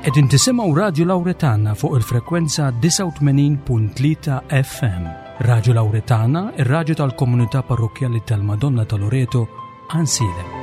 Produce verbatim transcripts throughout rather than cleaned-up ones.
Qegħdin tisimgħu Radio Lauretana fuq il-frekwenza disgħa u tmenin punt tlieta F M. Radio Lauretana, ir-radju tal-komunità parrokkjali tal-Madonna ta' Loreto, Għajnsielem.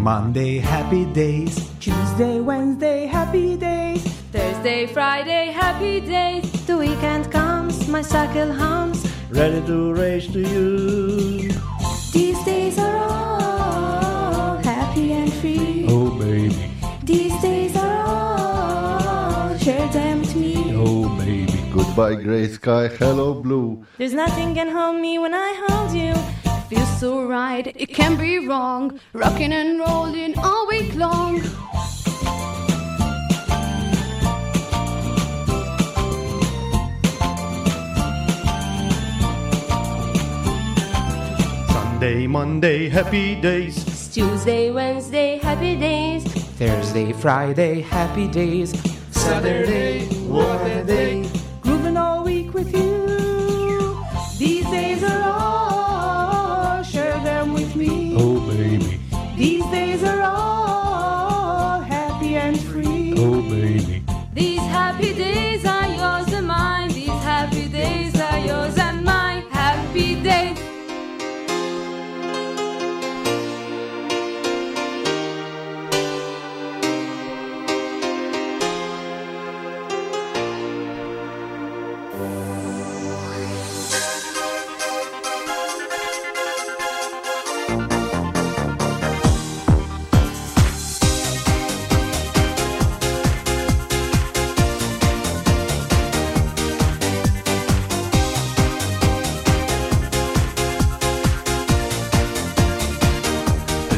Monday, happy days. Tuesday, Wednesday, happy days. Thursday, Friday, happy days. The weekend comes, my cycle hums. Ready to race to you. These days are all happy and free. Oh, baby. These days are all, share them with me. Oh, baby. Goodbye, grey sky, hello, blue. There's nothing can hold me when I hold you. Feels so right, it can't be wrong. Rocking and rolling all week long. Sunday, Monday, happy days. It's Tuesday, Wednesday, happy days. Thursday, Friday, happy days. Saturday, what a day. Grooving all week with you. These days are all, share them with me. Oh, baby. These days are all happy and free. Oh, baby. These happy days are yours and mine. These happy days are yours and mine. Happy days.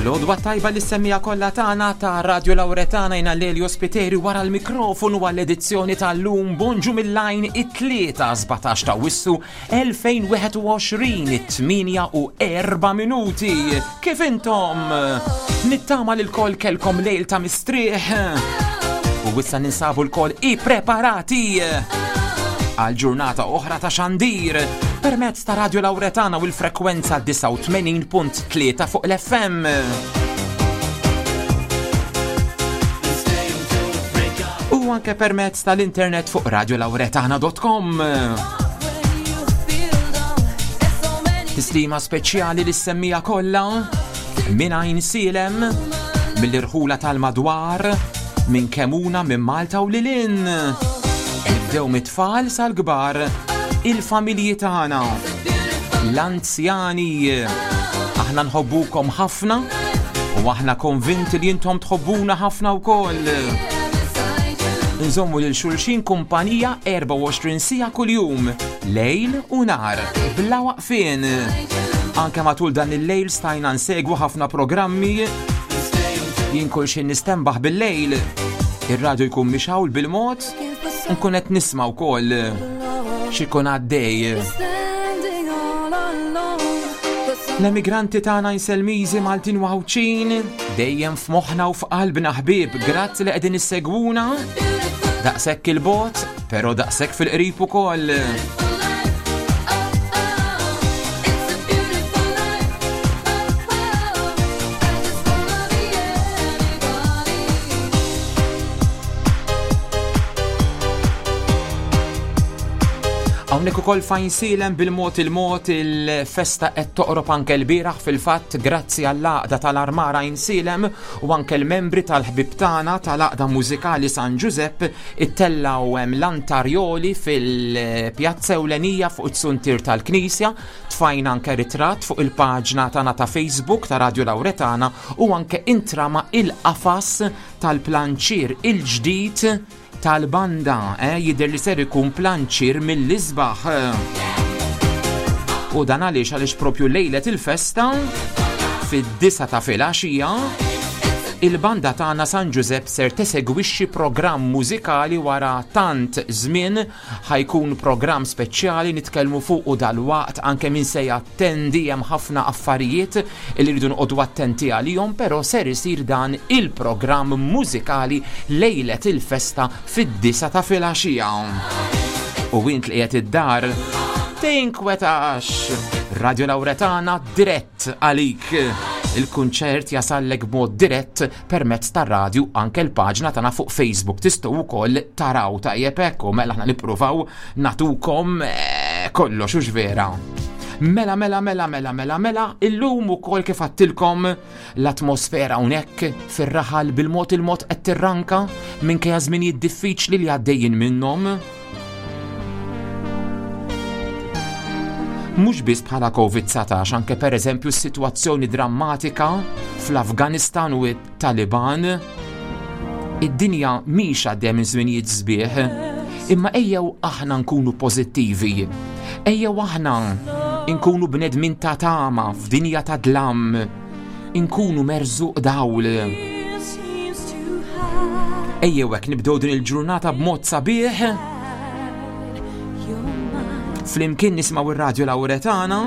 L-għodwa tajba li semmija kollha tagħna ta' Radio Lauretana jina Lelio Spiteri wara l-mikrofonu għall-edizzjoni tal-lum. Bonġu mill-lajn it-tlieta sbatax ta' Wissu elfejn wieħed u għoxrin, it-tmienja u erba' minuti. Kif intom? Nittama li l-koll kelkom lejl ta' mistrieħ. U issa ninsabu l-koll ippreparati għal ġurnata oħra ta' xandir permezz ta' Radio Lauretana u l-frekwenza disgħa u tmenin punt tlieta fuq l-F M. U anke permezz tal-internet fuq radio lauretana dot com. Tislima speċjali li semmija kollha minn Għajnsielem, mill-irħula tal-madwar, minn Kemuna, minn Malta u lilin. Nibdew mit-tfal sal-kbar, il-familji tagħna, l-anzjani. Aħna nħobbukom ħafna u aħna konvinti li intom tħobbuna ħafna wkoll. Nżommu lil xulxin kumpanija erbgħa u għoxrin siegħa kuljum, lejl u nar, bla waqfien. Anke matul dan il-lejl stajna nsegwu ħafna programmi. Jien kull xejn nistembaħ bil-lejl, ir-radju jkun mixawl bil-mod, nkun qed nisma' wkoll x'ikun għaddej. L-emigranti tagħna Inselmiżi, Maltin u Għawdxin, dejjem f'moħħna u f'qalbna ħbieb, grazzi li qegħdin issegwuna. Daqshekk il-bot, però daqshekk fil-qrib ukoll. Hawnhekk ukoll f'Għajnsielem bil-mod il-mod il-festa qed toqrob anke l-bieraħ fil-fatt grazzi għall-għaqda tal-Armara Għajnsielem u anke l-membri tal-ħbib tagħna tal-għaqda mużikali San Ġużepp ittellaw hemm l-antarjoli fil-pjazza ewlenija fuq it-suntier tal-Knisja. Tfajna anke ritratt fuq il-paġna tagħna ta' Facebook ta' Radio Lauretana u anke intrama il-qafas tal-planċier il-ġdid tal-banda, eh, jidher li ser ikun planċier mill-isbaħ. U dan għaliex għaliex propju lejlet il-festa fid-disa ta' filgħaxija Il-banda tagħna San Giuseppe ser tesegwixxi programm mużikali wara tant żmien, ħa jkun programm speċjali nitkellmu fuq u dalwaqt anke min se jattendi. Hemm ħafna affarijiet li rridu noqogħdu attenti għalihom, però ser isir dan il-programm mużikali lejlet il-festa fid-disgħa ta' filgħaxija. U int li qiegħed id-dar, tinkwetax, Radio Lauretana dirett għalik. Il-kunċert jasallek b'mod dirett permezz tar-radju, anke l-paġna tagħna fuq Facebook. Tistgħu wkoll taraw, tajjeb hekk, u mela aħna nippruvaw nagħtukom eh, kollox hux vera. Mela, mela, mela, mela, mela, mela, illum ukoll kif għedtilkom l-atmosfera hawnhekk fir-raħal bil-mod il-mod qed tirranka minkejja żminijiet diffiċli li għaddejjin minnhom. Mhux biss bħala Covid dsatax, anke pereżempju s-sitwazzjoni drammatika fl-Afganistan u t-Taliban. Id-dinja mhix għaddejja minn żminijiet sbieħ, imma ejjew aħna nkunu pożittivi. Ejjew aħna nkunu bnedmin ta' tama f'dinja ta' dlam, nkunu merżuq dawl. Ejjew hekk nibdew din il-ġurnata b'mod sabiħ. Flimkien nismaw ir-Radio Lauretana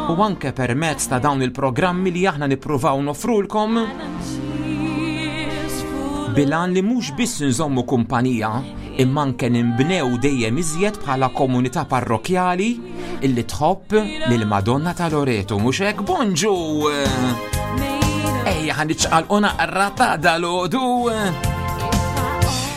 u anke permezz ta' dawn il-programmi li aħna nippruvaw nofrulkom bil-għan li mhux biss nżommu kumpanija, imma anke nimbnew dejjem iżjed bħala komunità parrokjali illi tħobb lil Madonna ta' Loreto, mhux hekk? Bonġu! Ejja, ħa niċċaqalqu naqra ta' dalgħodu.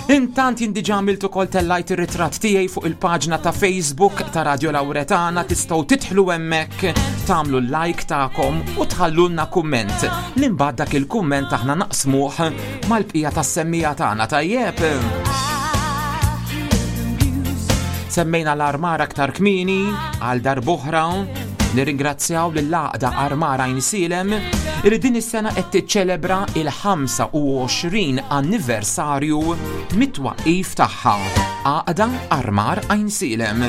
Intant jien diġà għamilt ukoll, tellajt ir-ritratt tiegħi fuq il-paġna ta' Facebook ta' Radio Lauretana, tistgħu tidħlu hemmhekk, tagħmlu l-like tagħkom u tħallulna kumment. Li mbagħad dak il-kumment aħna naqsmuh mal-bqija tas-semmiegħa tagħna, tajjeb. Semmejna l-armara aktar kmieni. Għal darb'oħra nirringrazzjaw lill-Għaqda Armara Għajnsielem li din is-sena qed tiċċelebra il-ħamsa u għoxrin anniversarju mit-twaqqif tagħha. Għaqda Armar Għajnsielem.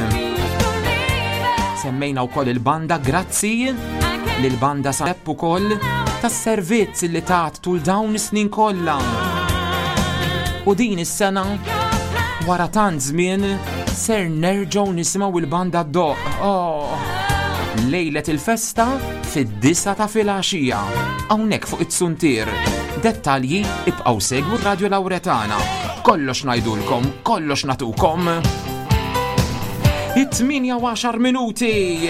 Semmejna wkoll il-banda, grazzi lill-banda Sepp ukoll tas-servizz li tat tul dawn is-snin kollha. U din is-sena, wara tant żmien, ser nerġgħu nisimgħu il-banda ddoqq. Oh. Lejlet il-festa fid-disgħa ta' filgħaxija. Hawnhekk fuq it-Suntier. Dettalji, ibqgħu segwu Radio Lauretana. Kollox ngħidulkom, kollox nagħtukom. It-tmienja u għaxar minuti.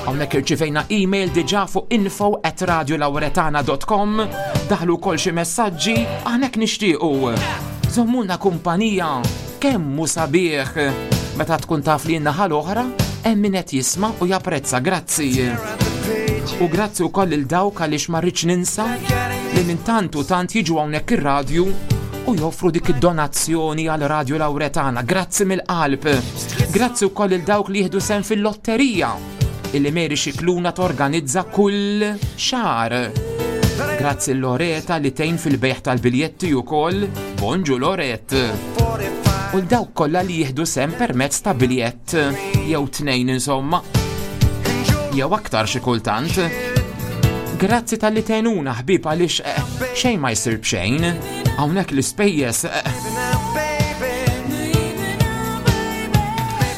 Hawnhekk irċivejna email diġà fuq info at radiolauretana dot com. Daħlu kol xi messaġġi, hawnhekk nixtiequ. Żommuna kumpanija, kemm hu sabiħ meta tkun taf li n-naħa l-oħra hemm min qed jisma' u japprezza, grazzi. U grazzi wkoll lil dawk, għaliex ma rridx ninsa li minn tant u tant jiġu hawnhekk ir-radju u joffru dik id-donazzjoni għal Radio Lauretana. Grazzi mill-qalb. Grazzi wkoll lil dawk li jieħdu sehem fil-lotterija illi Mary Xikluna torganizza kull xahar. Grazzi Loreta li tgħin fil-bejħ tal-biljetti ukoll. Bonġu, Loret. U dawk kollha li jieħdu sehem permezz ta' biljett jew tnejn, insomma. Jew aktar xi kultant. Grazzi talli tgħinuna, ħbieb, għaliex eh, xejn ma jsir b'xejn. Hawnhekk l-ispejjeż. eh,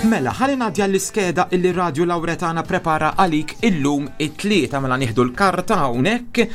Mela, ħalli ngħaddi l-iskeda illi Radio Lauretana prepara għalik illum it-Tlieta. Mela nieħdu l-karta hawnhekk.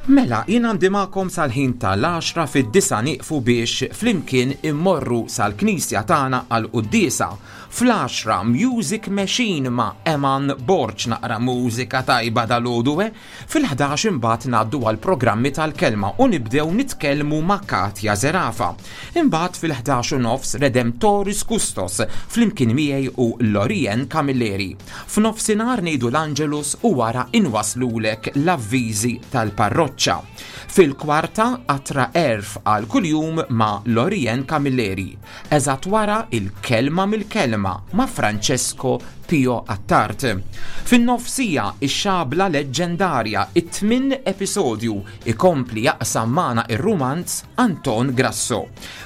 Mela, jien għandi magħkom sal-ħin tal-għaxra. Fid-disgħa nieqfu biex flimkien immorru sal-knisja tagħna għal-quddiesa. Fl-għaxra Music Machine ma' Eman Borg, naqra mużika tajba dalgħodu, eh? Fil-ħdax imbagħad ngħaddu għal programmi tal-kelma u nibdew nitkellmu ma' Katja Zerafa. Imbagħad fil-ħdax u nofs Redemptoris Custos flimkien miegħi u Lorien Camilleri. F'nofsinhar ngħidu l-Angelus u wara inwaslulek l-avviżi tal-parroċċa. Fil-kwarta Qatra Għerf għal kuljum ma' Lorien Camilleri. Eżatt wara il-Kelma mill-Kelma ma' Francesco Pio Attard. Fin-nofsija ix-Xabla Leġġendarja, it-tmin episodju, ikompli jaqsam magħna ir-rumanz Anton Grasso.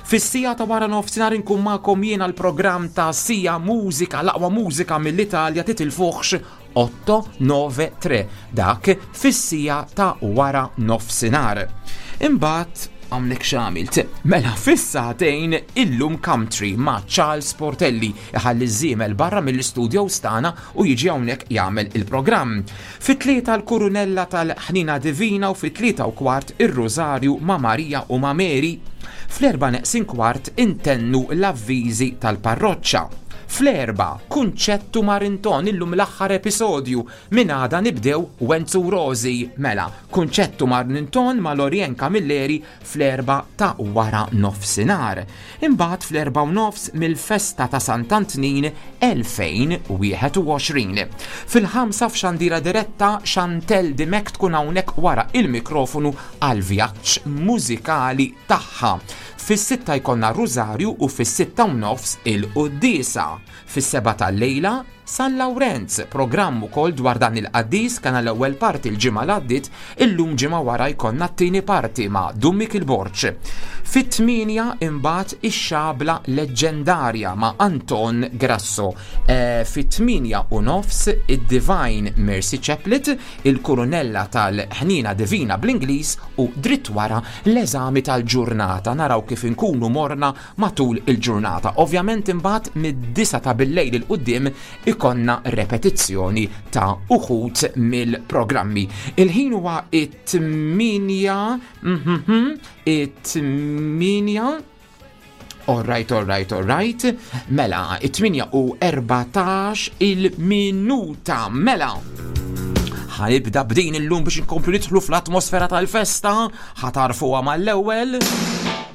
Fis-siegħa ta' wara nofsinhar inkun magħkom jiena l-programm ta' Sija Mużika, l-aqwa mużika mill-Italja, titilfuħx. otto nove tre, dak fis-siegħa ta' wara nofsinhar. Imbagħad għamlek x'għamilt. Mela fis-sagħtejn illum Country ma' Charles Portelli, iħalli żiemel barra mill-istudio tagħna u jiġi hawnhekk jagħmel il-programm. Fit-tlieta l-Kurunella tal-Ħnina Divina u fit-tlieta u kwart ir-Rosario ma' Marija u ma' Mary. Fl-erba neqsin kwart intennu l-avviżi tal-parroċċa. Fl-erbgħa, Kunċettu Marinton, illum l-aħħar episodju. Minn għada nibdew Wenzu Rosi. Mela, Kunċettu Marinton ma' Lorien Camilleri fl-erbgħa ta' wara nofsinhar. Imbagħad fl-erbgħa u nofs mill-festa ta' Sant'Antnin elfejn u wieħed u għoxrin. Fil-ħamsa f'xandira diretta, Chantel Dimek tkun hawnhekk wara il-mikrofonu għal vjaġġ mużikali tagħha. Fis-sitta jkollna Rosario u fis-sitta u nofs il-Quddiesa. Fis-sebgħa tal-lejla San Lawrenz, programm ukoll dwar dan il-qaddis. Kana l-ewwel parti l-ġimgħa l-għaddit, illum ġimgħa wara jkollna t-tieni parti ma' Dummik il-Borċ. Fit-tmienja imbagħad ix-xabla leġġendarja ma' Anton Grasso. E, Fit-tmienja u nofs id-Divine Mercy Chaplet, il-Kurunella tal-Ħnina Divina bl-Ingliż u dritt wara l-eżami tal-ġurnata. Naraw kif inkunu morna matul il-ġurnata. Ovvjament imbagħad mid-disgħa ta' billejl 'il quddiem ikonna repetizzjoni ta' uħud mill-programmi. Il-ħin huwa it-tmienja, mhm, it-tmienja. All right, all right, all right. Mela, it-tmienja u erbatax il-minuta. Mela. Ħa nibda b'din illum biex inkomplu nidħlu fl-atmosfera tal-festa, ħa tagħrfuha mal-ewwel.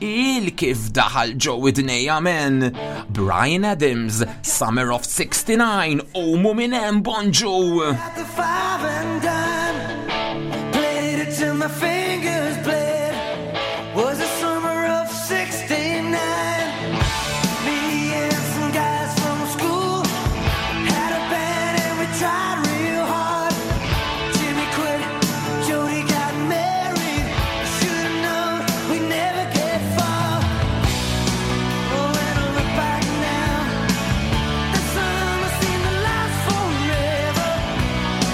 Il kif daħal ġo widnejja, men. Bryan Adams, Summer of sixty-nine, Omu minn hemm, bonġu. The five and dime, played it till my fingers bled. Was the summer of sixty-nine. Me and some guys from school had a band and we tried real hard. Jimmy quit, Jody got married. Should've known we'd never get far. Oh, when I look back now, the summer seemed to last forever.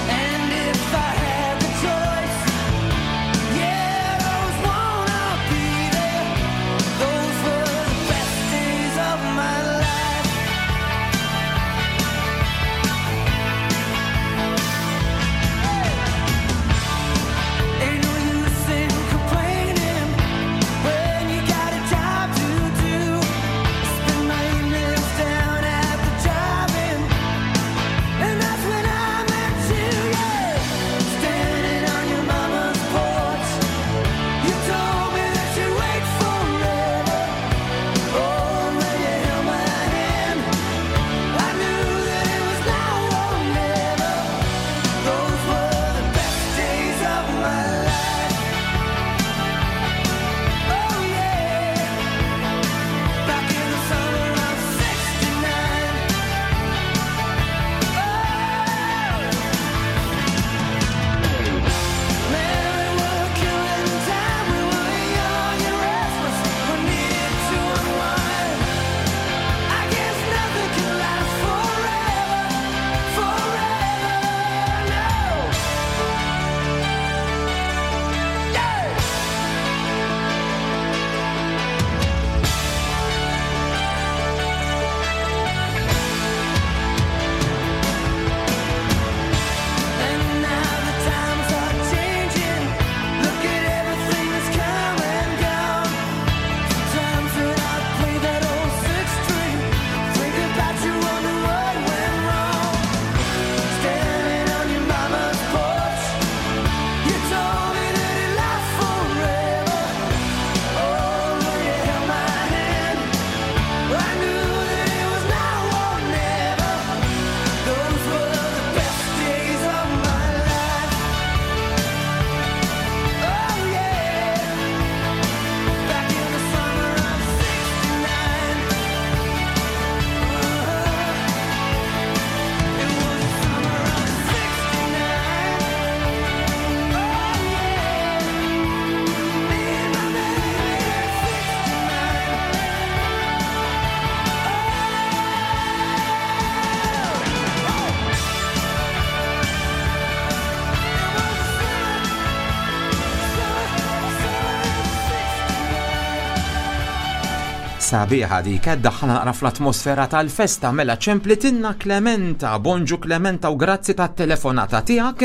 And if I had the choice, yeah, Sabiħa dik, daħħalna naqra fl-atmosfera tal-festa, mela ċemplitinna Clementa. Bonġu Clementa u grazzi tat-telefonata tiegħek.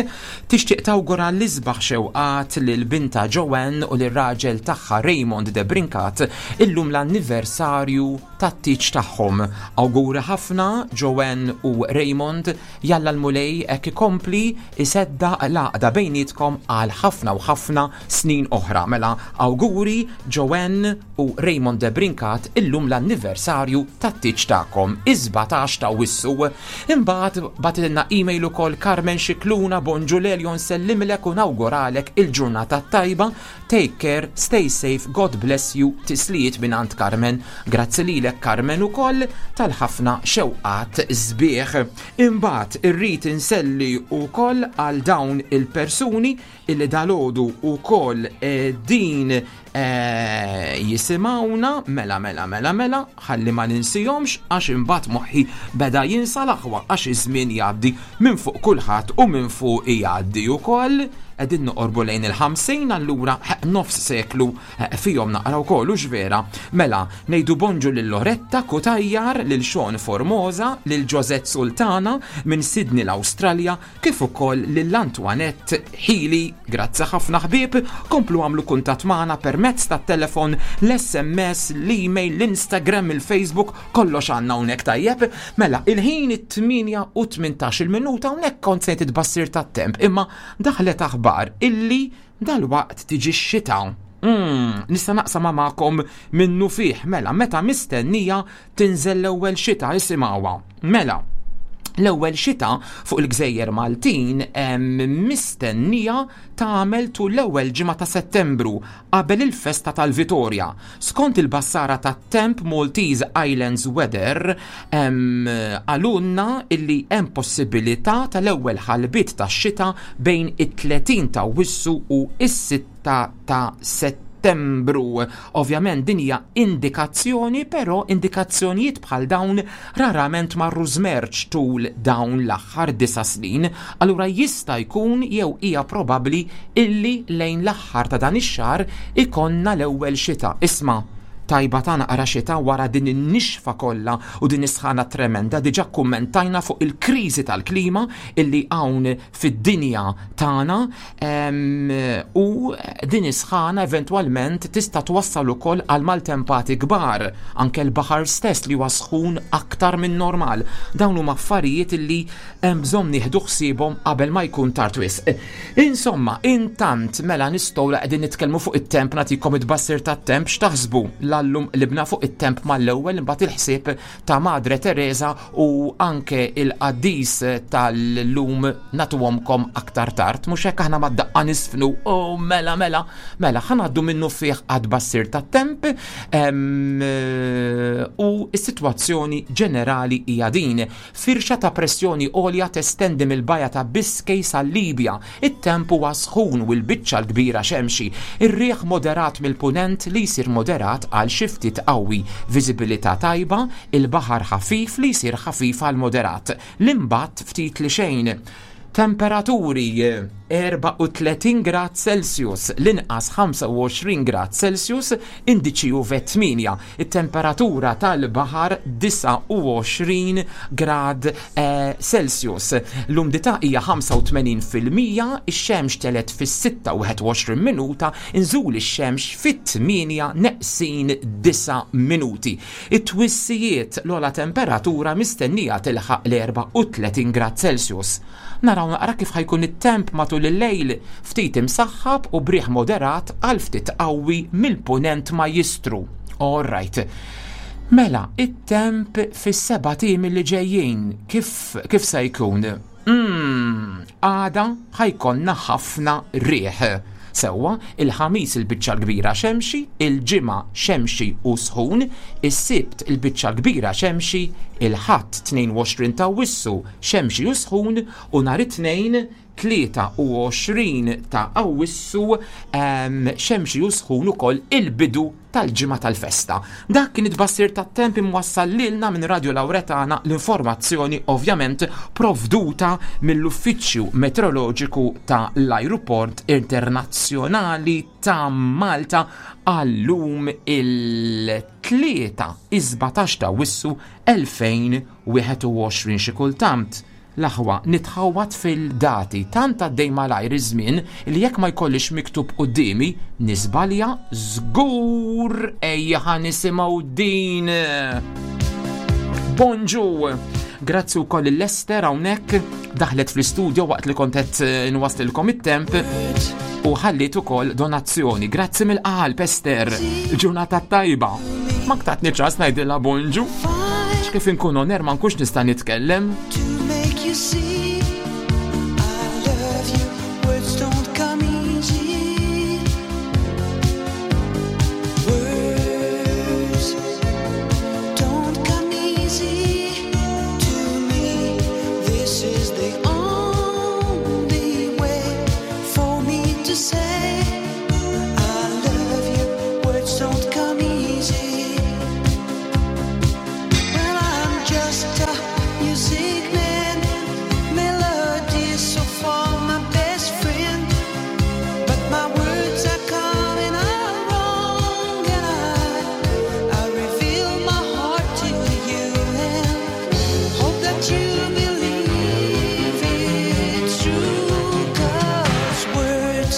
Tixtieq tawgura l-isbaħ xewqat lil binta Joanne u lir-raġel tagħha Raymond de Brincat illum l-anniversarju tat-tieġ tagħhom. Awguri ħafna Joanne u Raymond, jalla l-Mulej hekk ikompli iseddaq l-għaqda bejnietkom għal ħafna u ħafna snin oħra. Mela awguri Joanne u Raymond de Brincat illum l-anniversarju tat-tieġ tagħkom, is-sbatax ta' Awwissu. Imbagħad bagħtitilna email ukoll Carmen Xikluna, bonġu Lelio, nsellimlek u nawguralek il-ġurnata tajba. Take care, stay safe, God bless you, tislijiet mingħand Carmen. Grazzi lilek Carmen ukoll tal-ħafna xewqat sbieħ. Imbagħad irrid inselli ukoll għal dawn il-persuni illi dalgħodu ukoll din eh, jisimgħuna, mela mela mela mela, ħalli ma ninsihomx għax imbagħad moħħi beda jinsa l-aħwa għax iż-żmien jgħaddi minn fuq kulħadd u minn fuq jgħaddi ukoll. Qegħdin noqorbu lejn il-ħamsin, allura nofs seklu fihom naqra wkoll u vera. Mela, ngħidu bonġu lil Loretta Kutajjar, lil Sean Formosa, lil Josette Sultana minn Sydney l-Awstralja, kif ukoll lil Antoinette Healy. Grazzi ħafna ħbieb, komplu għamlu kuntatt magħna permezz tat-telefon, l-S M S, l-email, l-Instagram, il-Facebook, kollox għandna hawnhekk tajjeb. Mela, il-ħin it-tmienja u tmintax il-minuta, hawnhekk kont se tbassir tat-temp, imma daħlet aħbar illi dal-waqt tiġi x-xita. Mm, nista' naqsam magħkom minnu fih, mela, meta mistennija tinżel l-ewwel xita, isimgħuha. Mela, l-ewwel xita fuq il-Gżejjer Maltin mistennija tagħmel tul l-ewwel ġimgħa ta' Settembru qabel il-festa tal-Vitorja. Skont il-bassara tat-temp Maltese Islands Weather qalulna illi hemm possibilità tal-ewwel ħalbiet tax-xita bejn it-tletin ta' Awwissu u is-sitta ta' Settembru. Ovvjament din hija indikazzjoni, però indikazzjonijiet bħal dawn rarament marru żmerċ tul dawn l-aħħar disa' snin. Allura jista' jkun jew hija probabbli illi lejn l-aħħar ta' dan ix-xahar ikonna l-ewwel xita. Isma', tajba ta' naqra xita wara din in-nixfa kollha u din is-sħana tremenda. Diġà kummentajna fuq il-kriżi tal-klima illi hawn fid-dinja tagħna, u din is-sħana eventwalment tista' twassal ukoll għal maltempati kbar, anke l-baħar stess li huwa sħun aktar minn normal. Dawn huma affarijiet illi hemm bżonn nieħdu ħsiebhom qabel ma jkun tard wisq. Insomma, intant mela nistgħu la qegħdin nitkellmu fuq it-temp, nagħtikom it-tbassir tat-temp, x'taħsbu? L-allum libna fuq it-temp mal-ewwel, imbagħad il-ħsieb ta' Madre Teresa u anke il-qaddis tal-lum nagħtuhomkom aktar tard. Mhux hekk aħna mad-daqqa nisfnu, oh mela mela, mela ħa ngħaddu minnu fih għat-tbassir tat-temp, em, u s-sitwazzjoni ġenerali hija din. Firxa ta' pressjoni għolja testendi mill-baja ta' Biscay sal-Libja. It-temp huwa sħun u l-biċċa l-kbira xemxi. Ir-riħ moderat mill-punent li jsir moderat għal xi ftit qawwi, viżibilità tajba, il-baħar ħafif li jsir ħafif għal moderat. L-imbatt ftit li xejn. Temperaturi erbgħa u tletin grad Celsius, l-inqas ħamsa u għoxrin grad Celsius, indiċi U V tmienja, it-temperatura tal-baħar disgħa u għoxrin grad, eh, Celsius. L-umdità hija ħamsa u tmenin fil-mija, ix-xemx telet fis-sitta u wieħed u għoxrin minuta, inżul ix-xemx fit-tmienja neqsin disa' minuti. It-twissijiet l-ogħla temperatura mistennija tilħaq l-erbgħa u tletin grad Celsius. Naraw naqra kif ħajkun it-temp matul il-lejl, ftit imsaħħab u briħ moderat għal ftit qawwi mill-punent ma jistru. All right. Mela, it-temp fis-seba' tim li ġejjin, kif, kif se jkun? Mm, għada ħajkonna ħafna riħ. Sewwa, il-ħamis il-biċċa l-kbira xemxi, il-ġimgħa xemxi u sħun, is-sibt il-biċċa l-kbira xemxi, il-ħadd tnejn u għoxrin ta' Awwissu xemxi u sħun u nhar it-tnejn tlieta u għoxrin ta' Awwissu, ehm, xemxi u sħun ukoll il-bidu tal-ġimgħa tal-festa. Dak kien it-tbassir tat-temp imwassal lilna minn Radio Lauretana, l-informazzjoni ovvjament provduta mill-Uffiċċju Meteoroloġiku ta' l-Ajruport Internazzjonali ta' Malta għallum il-tlieta is-sbatax ta' Awwissu elfejn wieħed u għoxrin. Xi kultant l-aħwa nitħawat fil-dati, tant għaddej malajr iż-żmien li jekk ma jkollix miktub quddiemi nisbalja żgur. Ejja ħa nisimgħu din. Bonġu! Grazzi wkoll l-Ester hawnhekk daħlet fl-istudio waqt li kont qed nwaslilkom it-temp u ħallit ukoll donazzjoni. Grazzi mill-qalb Ester, il-ġurnata tajba. Ma ktatni ċans ngħidilha bonġu. Kif inkun oner ma nkunx nista' nitkellem. You see, I love you. Words don't come easy. Words don't come easy to me. This is the only way for me to say I love you. Words don't come easy. Well, I'm just a music man. Melody so far my best friend, but my words are coming out wrong, and I, I reveal my heart to you and hope that you believe it's true. 'Cause words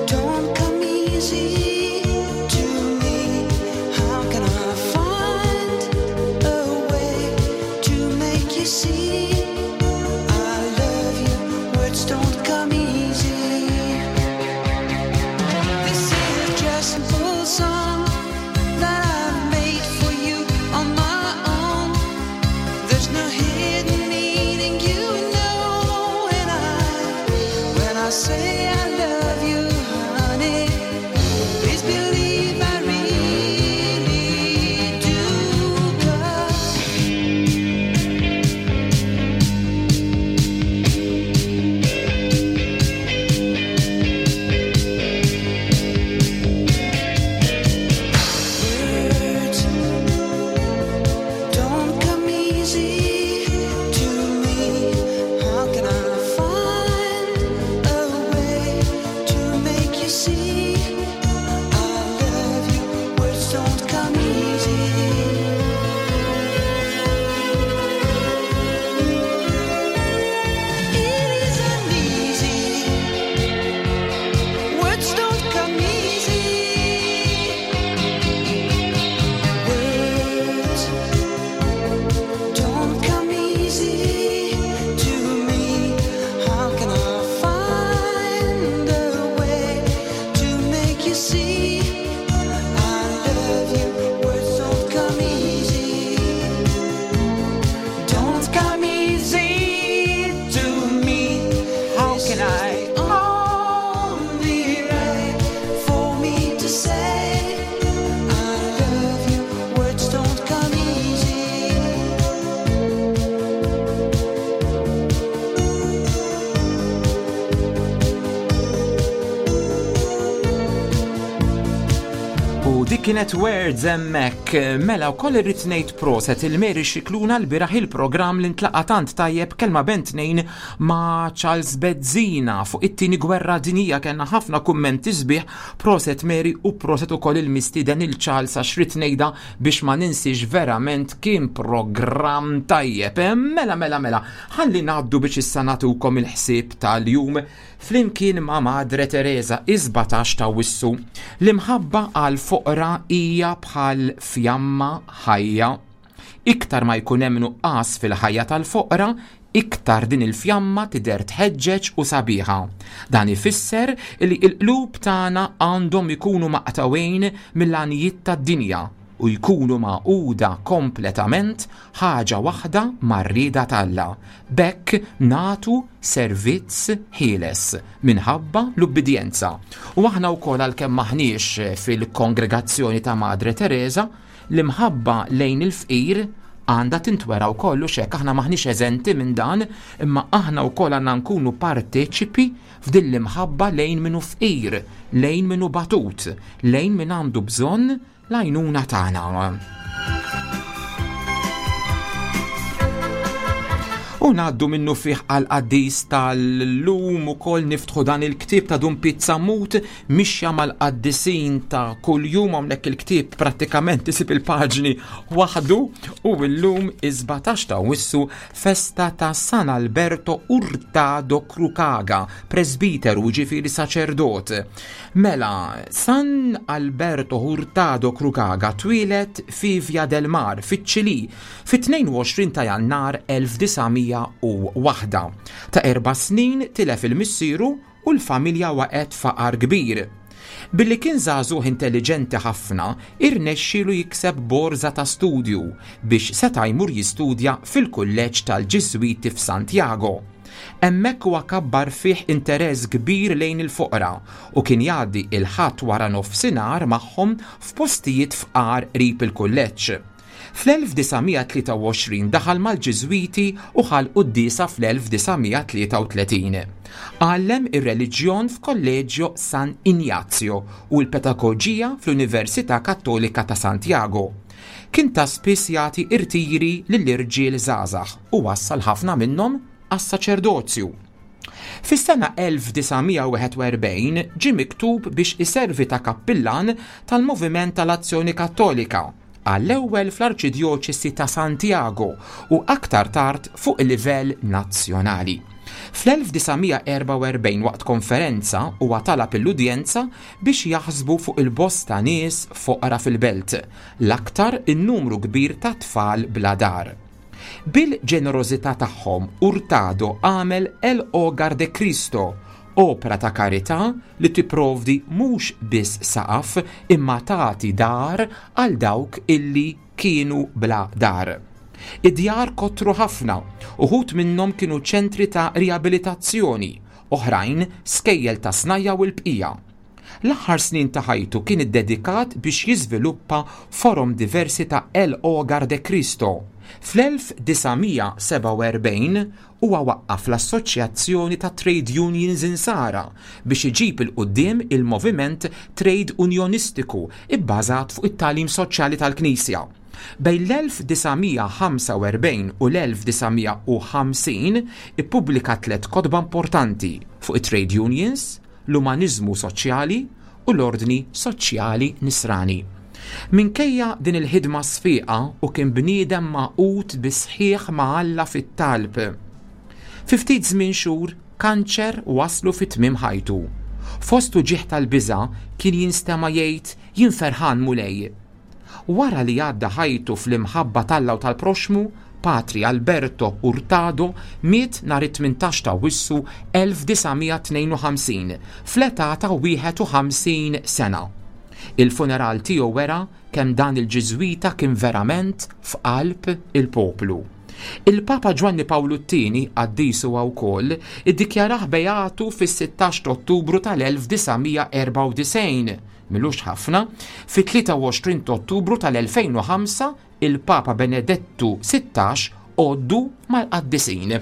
don't come easy to me. How can I find a way to make you see I love you? Words don't come easy. This is just a simple song that I've made for you on my own. There's no hidden meaning, you know. And I, when I say I love you, honey, please believe I really do. 'Cause words don't come easy to me. How can I find a way to make you see I love you? Words don't come easy. It isn't easy. Words don't come easy. Words don't come easy to me. How can I find a way to make you see I love you? Words don't come easy. Don't come easy to me. How can I? Only way for me to say I love you. Words don't come easy. U dik kienet Words hemmhekk. Mela wkoll irrid ngħid proset il-Mary Scicluna l-bieraħ il-programm li ntlaqa' tant tajjeb kelma bejn tnejn ma' Charles Bezzina fuq it-tieni gwerra dinjija. Kellna ħafna kummenti sbieħ. Proset Mary u proset ukoll il-mistieden il-Charles, għax rrid ngħidha biex ma ninsiex, verament kien programm tajjeb. Mela, mela, mela, ħalli ngħaddu biex issa nagħtukom il-ħsieb tal-jum flimkien ma' Madre Teresa, is-sbatax ta' Awwissu. L-imħabba għal foqra hija bħal fjamma ħajja. Iktar ma jkun hemm nuqqas fil-ħajja tal-foqra, iktar din il-fjamma tidher tħeġġeġ u sabiħa. Dan ifisser li l-qlub tagħna għandhom ikunu maqtawejn mill-għanijiet tad-dinja u jkunu magħquda kompletament ħaġa waħda mar-rieda t'Alla. B'hekk nagħtu servizz ħieles minħabba l-ubbidjenza. U aħna wkoll, għalkemm maħniex fil-kongregazzjoni ta' Madre Teresa, l-imħabba lejn il-fqir għandha tintwera wkoll u xek aħna maħniex eżenti minn dan, imma aħna wkoll għandna nkunu parteċipi f'din l-imħabba lejn min hu fqir, lejn min hu batut, lejn min għandu bżonn l-għajnuna tagħna. U ngħaddu minnu fih għal qaddis tal-lum ukoll niftħu dan il-ktieb ta' Dun Pete Sammut, Mixja mal-Qaddisin ta' kuljum. Hawnhekk il-ktieb prattikament isib il-paġni waħdu u llum is-sbatax ta' Awwissu festa ta' San Alberto Hurtado Cruchaga, presbiteru, ġifieri saċerdot. Mela, San Alberto Hurtado Cruchaga twieled fi Via del Mar, fiċ-Ċilì, fit-tnejn u għoxrin ta' Jannar elf disa' mija u waħda. Ta' erba' snin tilef il-missieru u l-familja waqgħet faqar kbir. Billi kien żagħżugħ intelligenti ħafna, irnexxielu jikseb borża ta' studju biex seta' jmur jistudja fil-kulleġġ tal-Ġiżwiti f'Santiago. Hemmhekk huwa kabbar fih interess kbir lejn il-foqra u kien jgħaddi il-ħadd wara nofsinhar magħhom f'postijiet fqar qrib il-kulleġġ. Fl-elf disa' mija tlieta u għoxrin daħal mal-Ġiżwiti u ħal quddiesa fl-elf disa' mija tlieta u tletin. Għallem ir-reliġjon f'Kolleġġjo San Ignazio u l-pedagoġija fl-Università Kattolika ta' Santiago. Kien ta' spiss jagħti irtiri lill-irġiel żgħażagħ u wassal ħafna minnhom għas-saċerdozju. Fis-sena elf disa' mija wieħed u erbgħin ġie miktub biex iservi ta' kappillan tal-Moviment tal-Azzjoni Kattolika, għall-ewwel fl-Arċidjoċesi ta' Santiago u aktar tard fuq il-livell nazzjonali. Fl-elf disa' mija erbgħa u erbgħin waqt konferenza huwa talab l-udjenza biex jaħsbu fuq il-bosta nies foqra fil-belt, l-aktar in-numru kbir ta' tfal bla dar. Bil-ġenerożità tagħhom Hurtado għamel El Hogar de Cristo, opera ta' karità li tipprovdi mhux biss saqaf imma tagħti dar għal dawk illi kienu bla dar. Id-djar kotru ħafna, uħud minnhom kienu ċentri ta' riabilitazzjoni, oħrajn skejjel ta' snajja u l-bqija. L-aħħar snin ta' ħajtu kien iddedikat biex jiżviluppa forom diversi ta' El Hogar de Cristo. Fl-elf disa' mija sebgħa u erbgħin huwa waqqaf l-Assoċjazzjoni ta' Trade Unions Insara biex iġib il-quddiem il-moviment trade unionistiku ibbażat fuq it-tagħlim soċjali tal-Knisja. Bejn l-elf disa' mija ħamsa u erbgħin u l-elf disa' mija u ħamsin ippubblika tliet kotba importanti fuq it-trade unions, l-umaniżmu soċjali u l-ordni soċjali nisrani. Minkejja din il-ħidma sfiqa u kien bniedem magħqud bi sħiħ ma' Alla fit-talb. Fi ftit żmien xhur, kanċer waslu fi tmiem ħajtu. Fost uġigħ tal-biża' kien jinstema' jgħid jien ferħan Mulej. Wara li għadda ħajtu fl-imħabba t'Alla u tal-proxmu, Patri Alberto Hurtado miet nhar it-tmintax ta' Awwissu elf disa' mija tnejn u ħamsin fl-età ta' wieħed u ħamsin sena. Il-funeral tiegħu wera kemm dan il-Ġiżwita kien verament f'qalb il-poplu. Il-Papa Ġwanni Pawlu t-tieni, qaddis huwa wkoll, iddikjarah beatu fis-sittax ta' Ottubru tal-elf disa' mija erbgħa u disgħin, milux ħafna, fit-tlieta u għoxrin ta' Ottubru tal-elfejn u ħamsa il-Papa Benedettu sittax għoddu mal-qaddisin.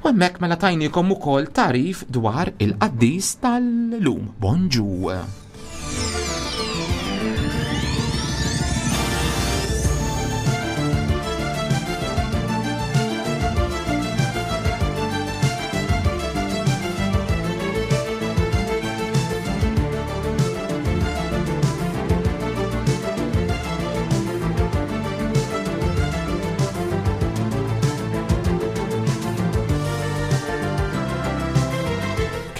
U hemmhekk mela tajnikom ukoll tarif dwar il-qaddis tal-lum. Bonġu!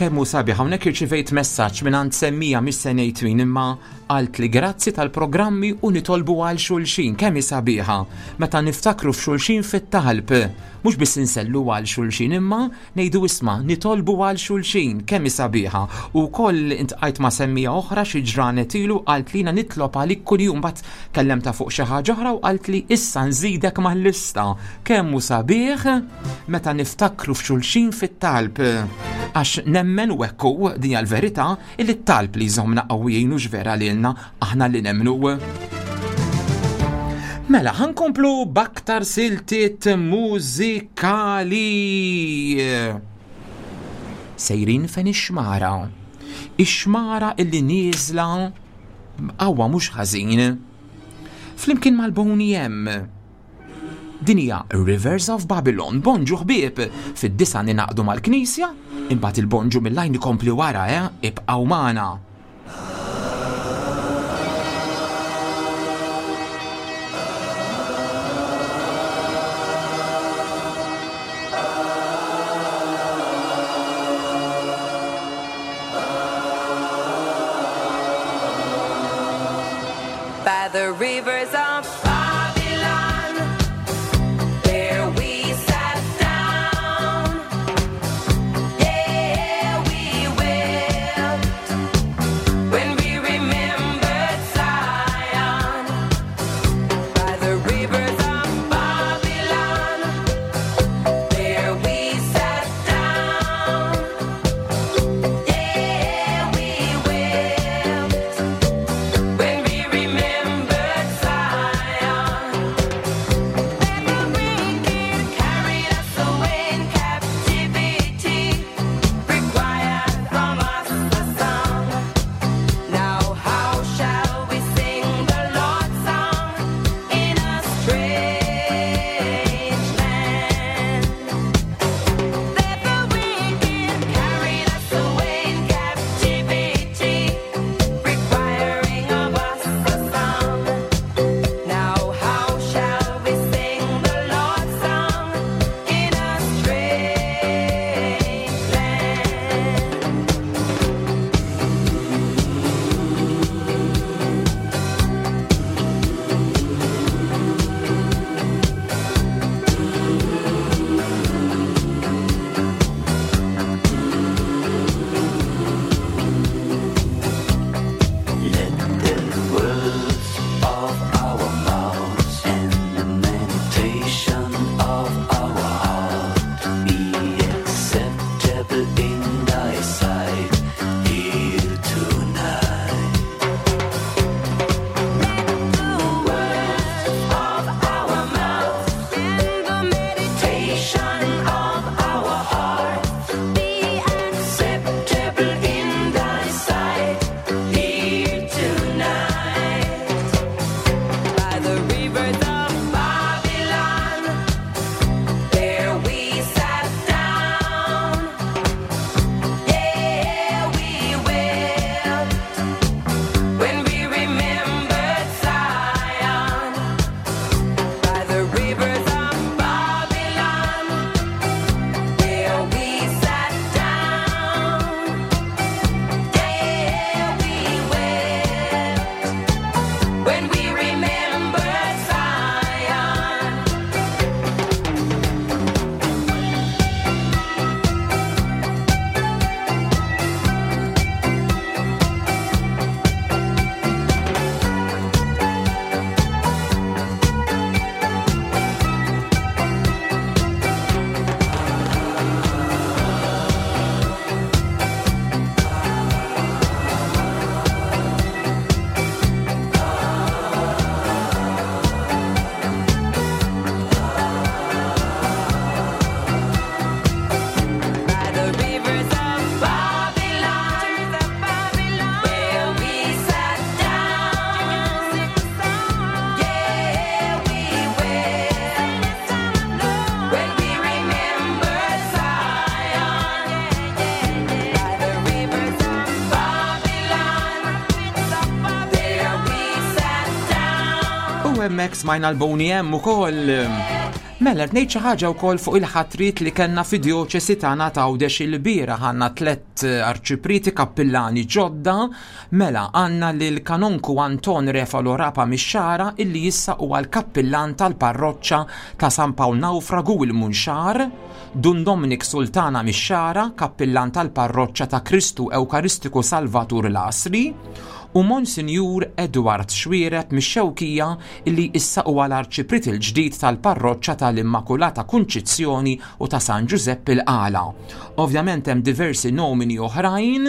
Kemm hu sabiħ, hawnhekk irċivejt messaġġ minn għand semmija mhix se ngħid min, imma qalt li grazzi tal-programmi u nitolbu għal xulxin. Kemm hi sabiħa meta niftakru f'xulxin fit-talb, mhux biss insellu għal xulxin imma ngħidu isma' nitolbu għal xulxin. Kemm hi sabiħa. U wkoll intqajt ma' semmija oħra xi ġranet ilu qalt li jiena nitlob għalik kuljum, mbagħad kellemtha fuq xi ħaġa oħra u qalt li issa nżidek mal-lista. Kemm hu sabiħ meta niftakru f'xulxin fit-talb, għax nemmen u hekk hu, din hija l-verità, illi t-talb li jżommna qawwijin u x'vera lilna aħna li nemmnu. Mela, ħa nkomplu b'aktar siltiet mużikali. Sejrin fejn ix-xmara. Ix-xmara illi nieżla qawwa mhux ħażin. Flimkien mal-Boney M. Din hija Rivers of Babylon, bonġu ħbieb, fid-disgħa ningħaqdu mal-knisja, imbagħad il-bonġu mill-lajn ikompli wara, eh, ibqgħu magħna. By the rivers of Babylon, there we sat down. Yeah, we wept when we remembered Zion. By the rivers of Babylon, there we sat down. Yeah, we wept when we remembered Zion. Then the wicked carried us away in captivity, required from us a song. Now how shall we sing the Lord's song in a strange land? Then the wicked carried us away in captivity, requiring of us a song. Now how shall we sing the Lord's song in a strange land? Let the words of our mouths and the meditation of our heart be acceptable in thy sight here tonight. Of our mouths and the meditation of our heart be acceptable in thy sight here tonight. By the rivers of Babylon, there we sat down. Yeah, we wept when we remembered Zion. By the rivers of Babylon, there we sat down. Yeah, we wept when we remembered Zion. By the rivers of Babylon, where we sat down. Yeah, we wept when we remembered Zion. By the rivers of Babylon, there we sat down. U hemmhekk smajna l-Boney M ukoll. Mela, ngħid xi ħaġa wkoll fuq il-ħatriet li kellna fid-djoċesi tagħna t'Għawdex il-bieraħ għandna tliet arċipriti kappillani ġodda, mela għandna lil kanonku Anton Refalo Rapa mix-Xagħra illi issa huwa l-kappillan tal-parroċċa ta' San Pawl Nawfragu il-Munxar, Dun Dominic Sultana mix-Xagħra, kappillan tal-parroċċa ta' Kristu Ewkaristiku Salvatur l-Għasri, u Monsinjur Edward Xuereb mix-Xewkija illi issa huwa l-arċiprit il-ġdid tal-parroċċa tal-Immakulata Kunċizzjoni u ta' San Giuseppe il-Qala. Ovvjament hemm diversi nomini oħrajn,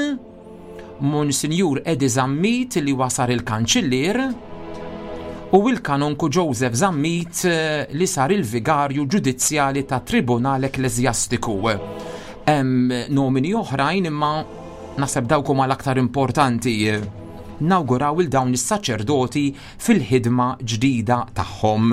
Monsinjur Edi Zammit li wasar il-kanċillier u il-kanonku Joseph Zammit eh, li sar il-vigarju ġudizzjali ta' Tribunal Ekklesjastiku. Hemm nomini oħrajn imma naħseb dawk huma l-aktar importanti. Nawguraw il dawn is-saċerdoti fil-ħidma ġdida tagħhom.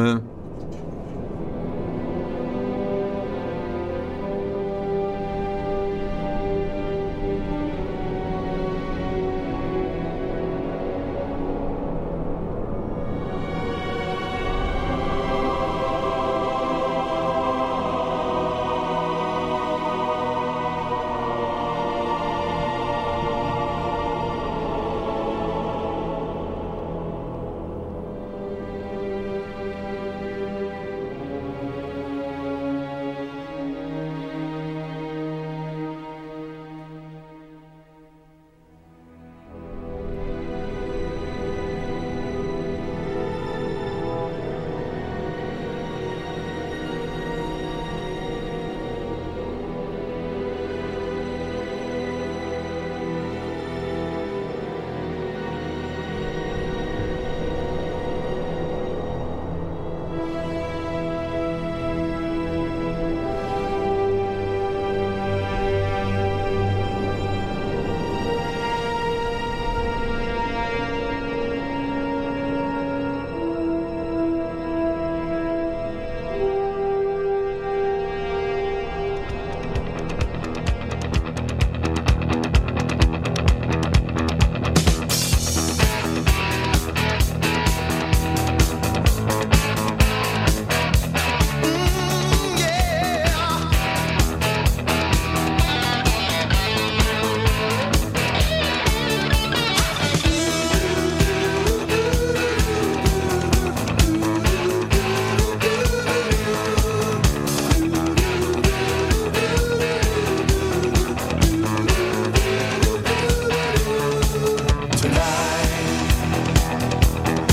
Tonight,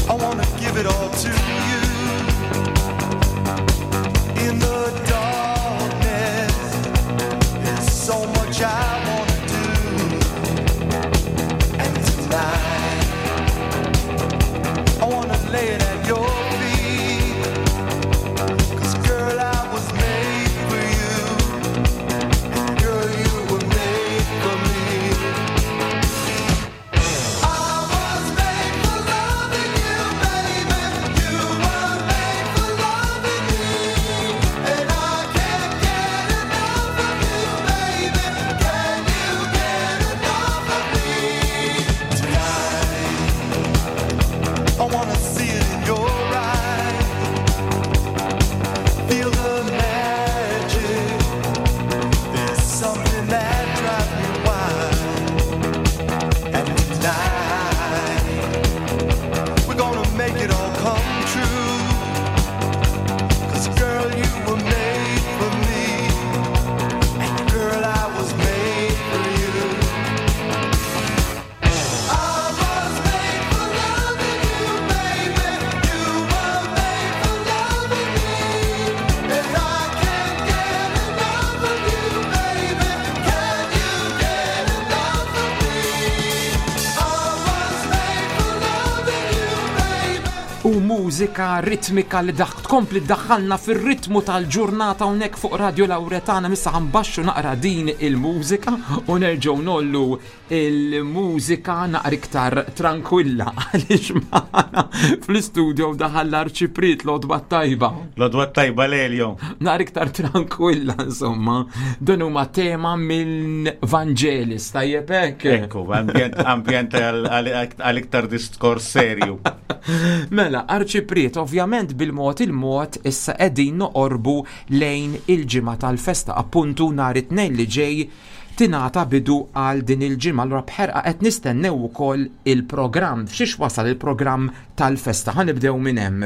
I wanna give it all to you. In the darkness, there's so much I wanna do. And tonight, I wanna lay it at your feet. 'Cause girl, I was made for you. And girl, you were made for me. I was made for loving you, baby. You were made for loving me. And I can't get enough of you, baby. Can you get enough of me? Tonight, I wanna see it in your eyes. Feel the magic. There's something that drives me wild. And tonight, we're gonna make it all come true. 'Cause girl, you were made for me. And girl, I was made for you. I was made for loving you, baby. You were made for loving me. And I can't get enough of you, baby. Can you get enough of me? I was made for loving you, baby. U mużika ritmika li daħ tkompli ddaħħalna fir-ritmu tal-ġurnata hawnhekk fuq Radio Lauretana. Issa ħa nbaxxu naqra din il-mużika u nerġgħu ngħollu il-mużika naqra iktar tranquilla għaliex magħna fl-istudio daħal l-arċipriet. L-għodwa tajba. L-għodwa tajba, Lelio. Naqra iktar tranquilla, insomma. Dan huma tema minn Vangelis, tajjeb hekk? Ekku, ambjent ambjent għal-iktar diskors serju. Mela, arċipriet, ovvjament bil-mod il-mod issa qegħdin noqorbu lejn il-ġimgħa tal-festa, appuntu nhar it-tnejn li ġej tingħata bidu għal din il-ġimgħa. Allura bħerqa qed nistennew ukoll il-programm. F'xiex wasal il-programm tal-festa? Ħa nibdew minn hemm.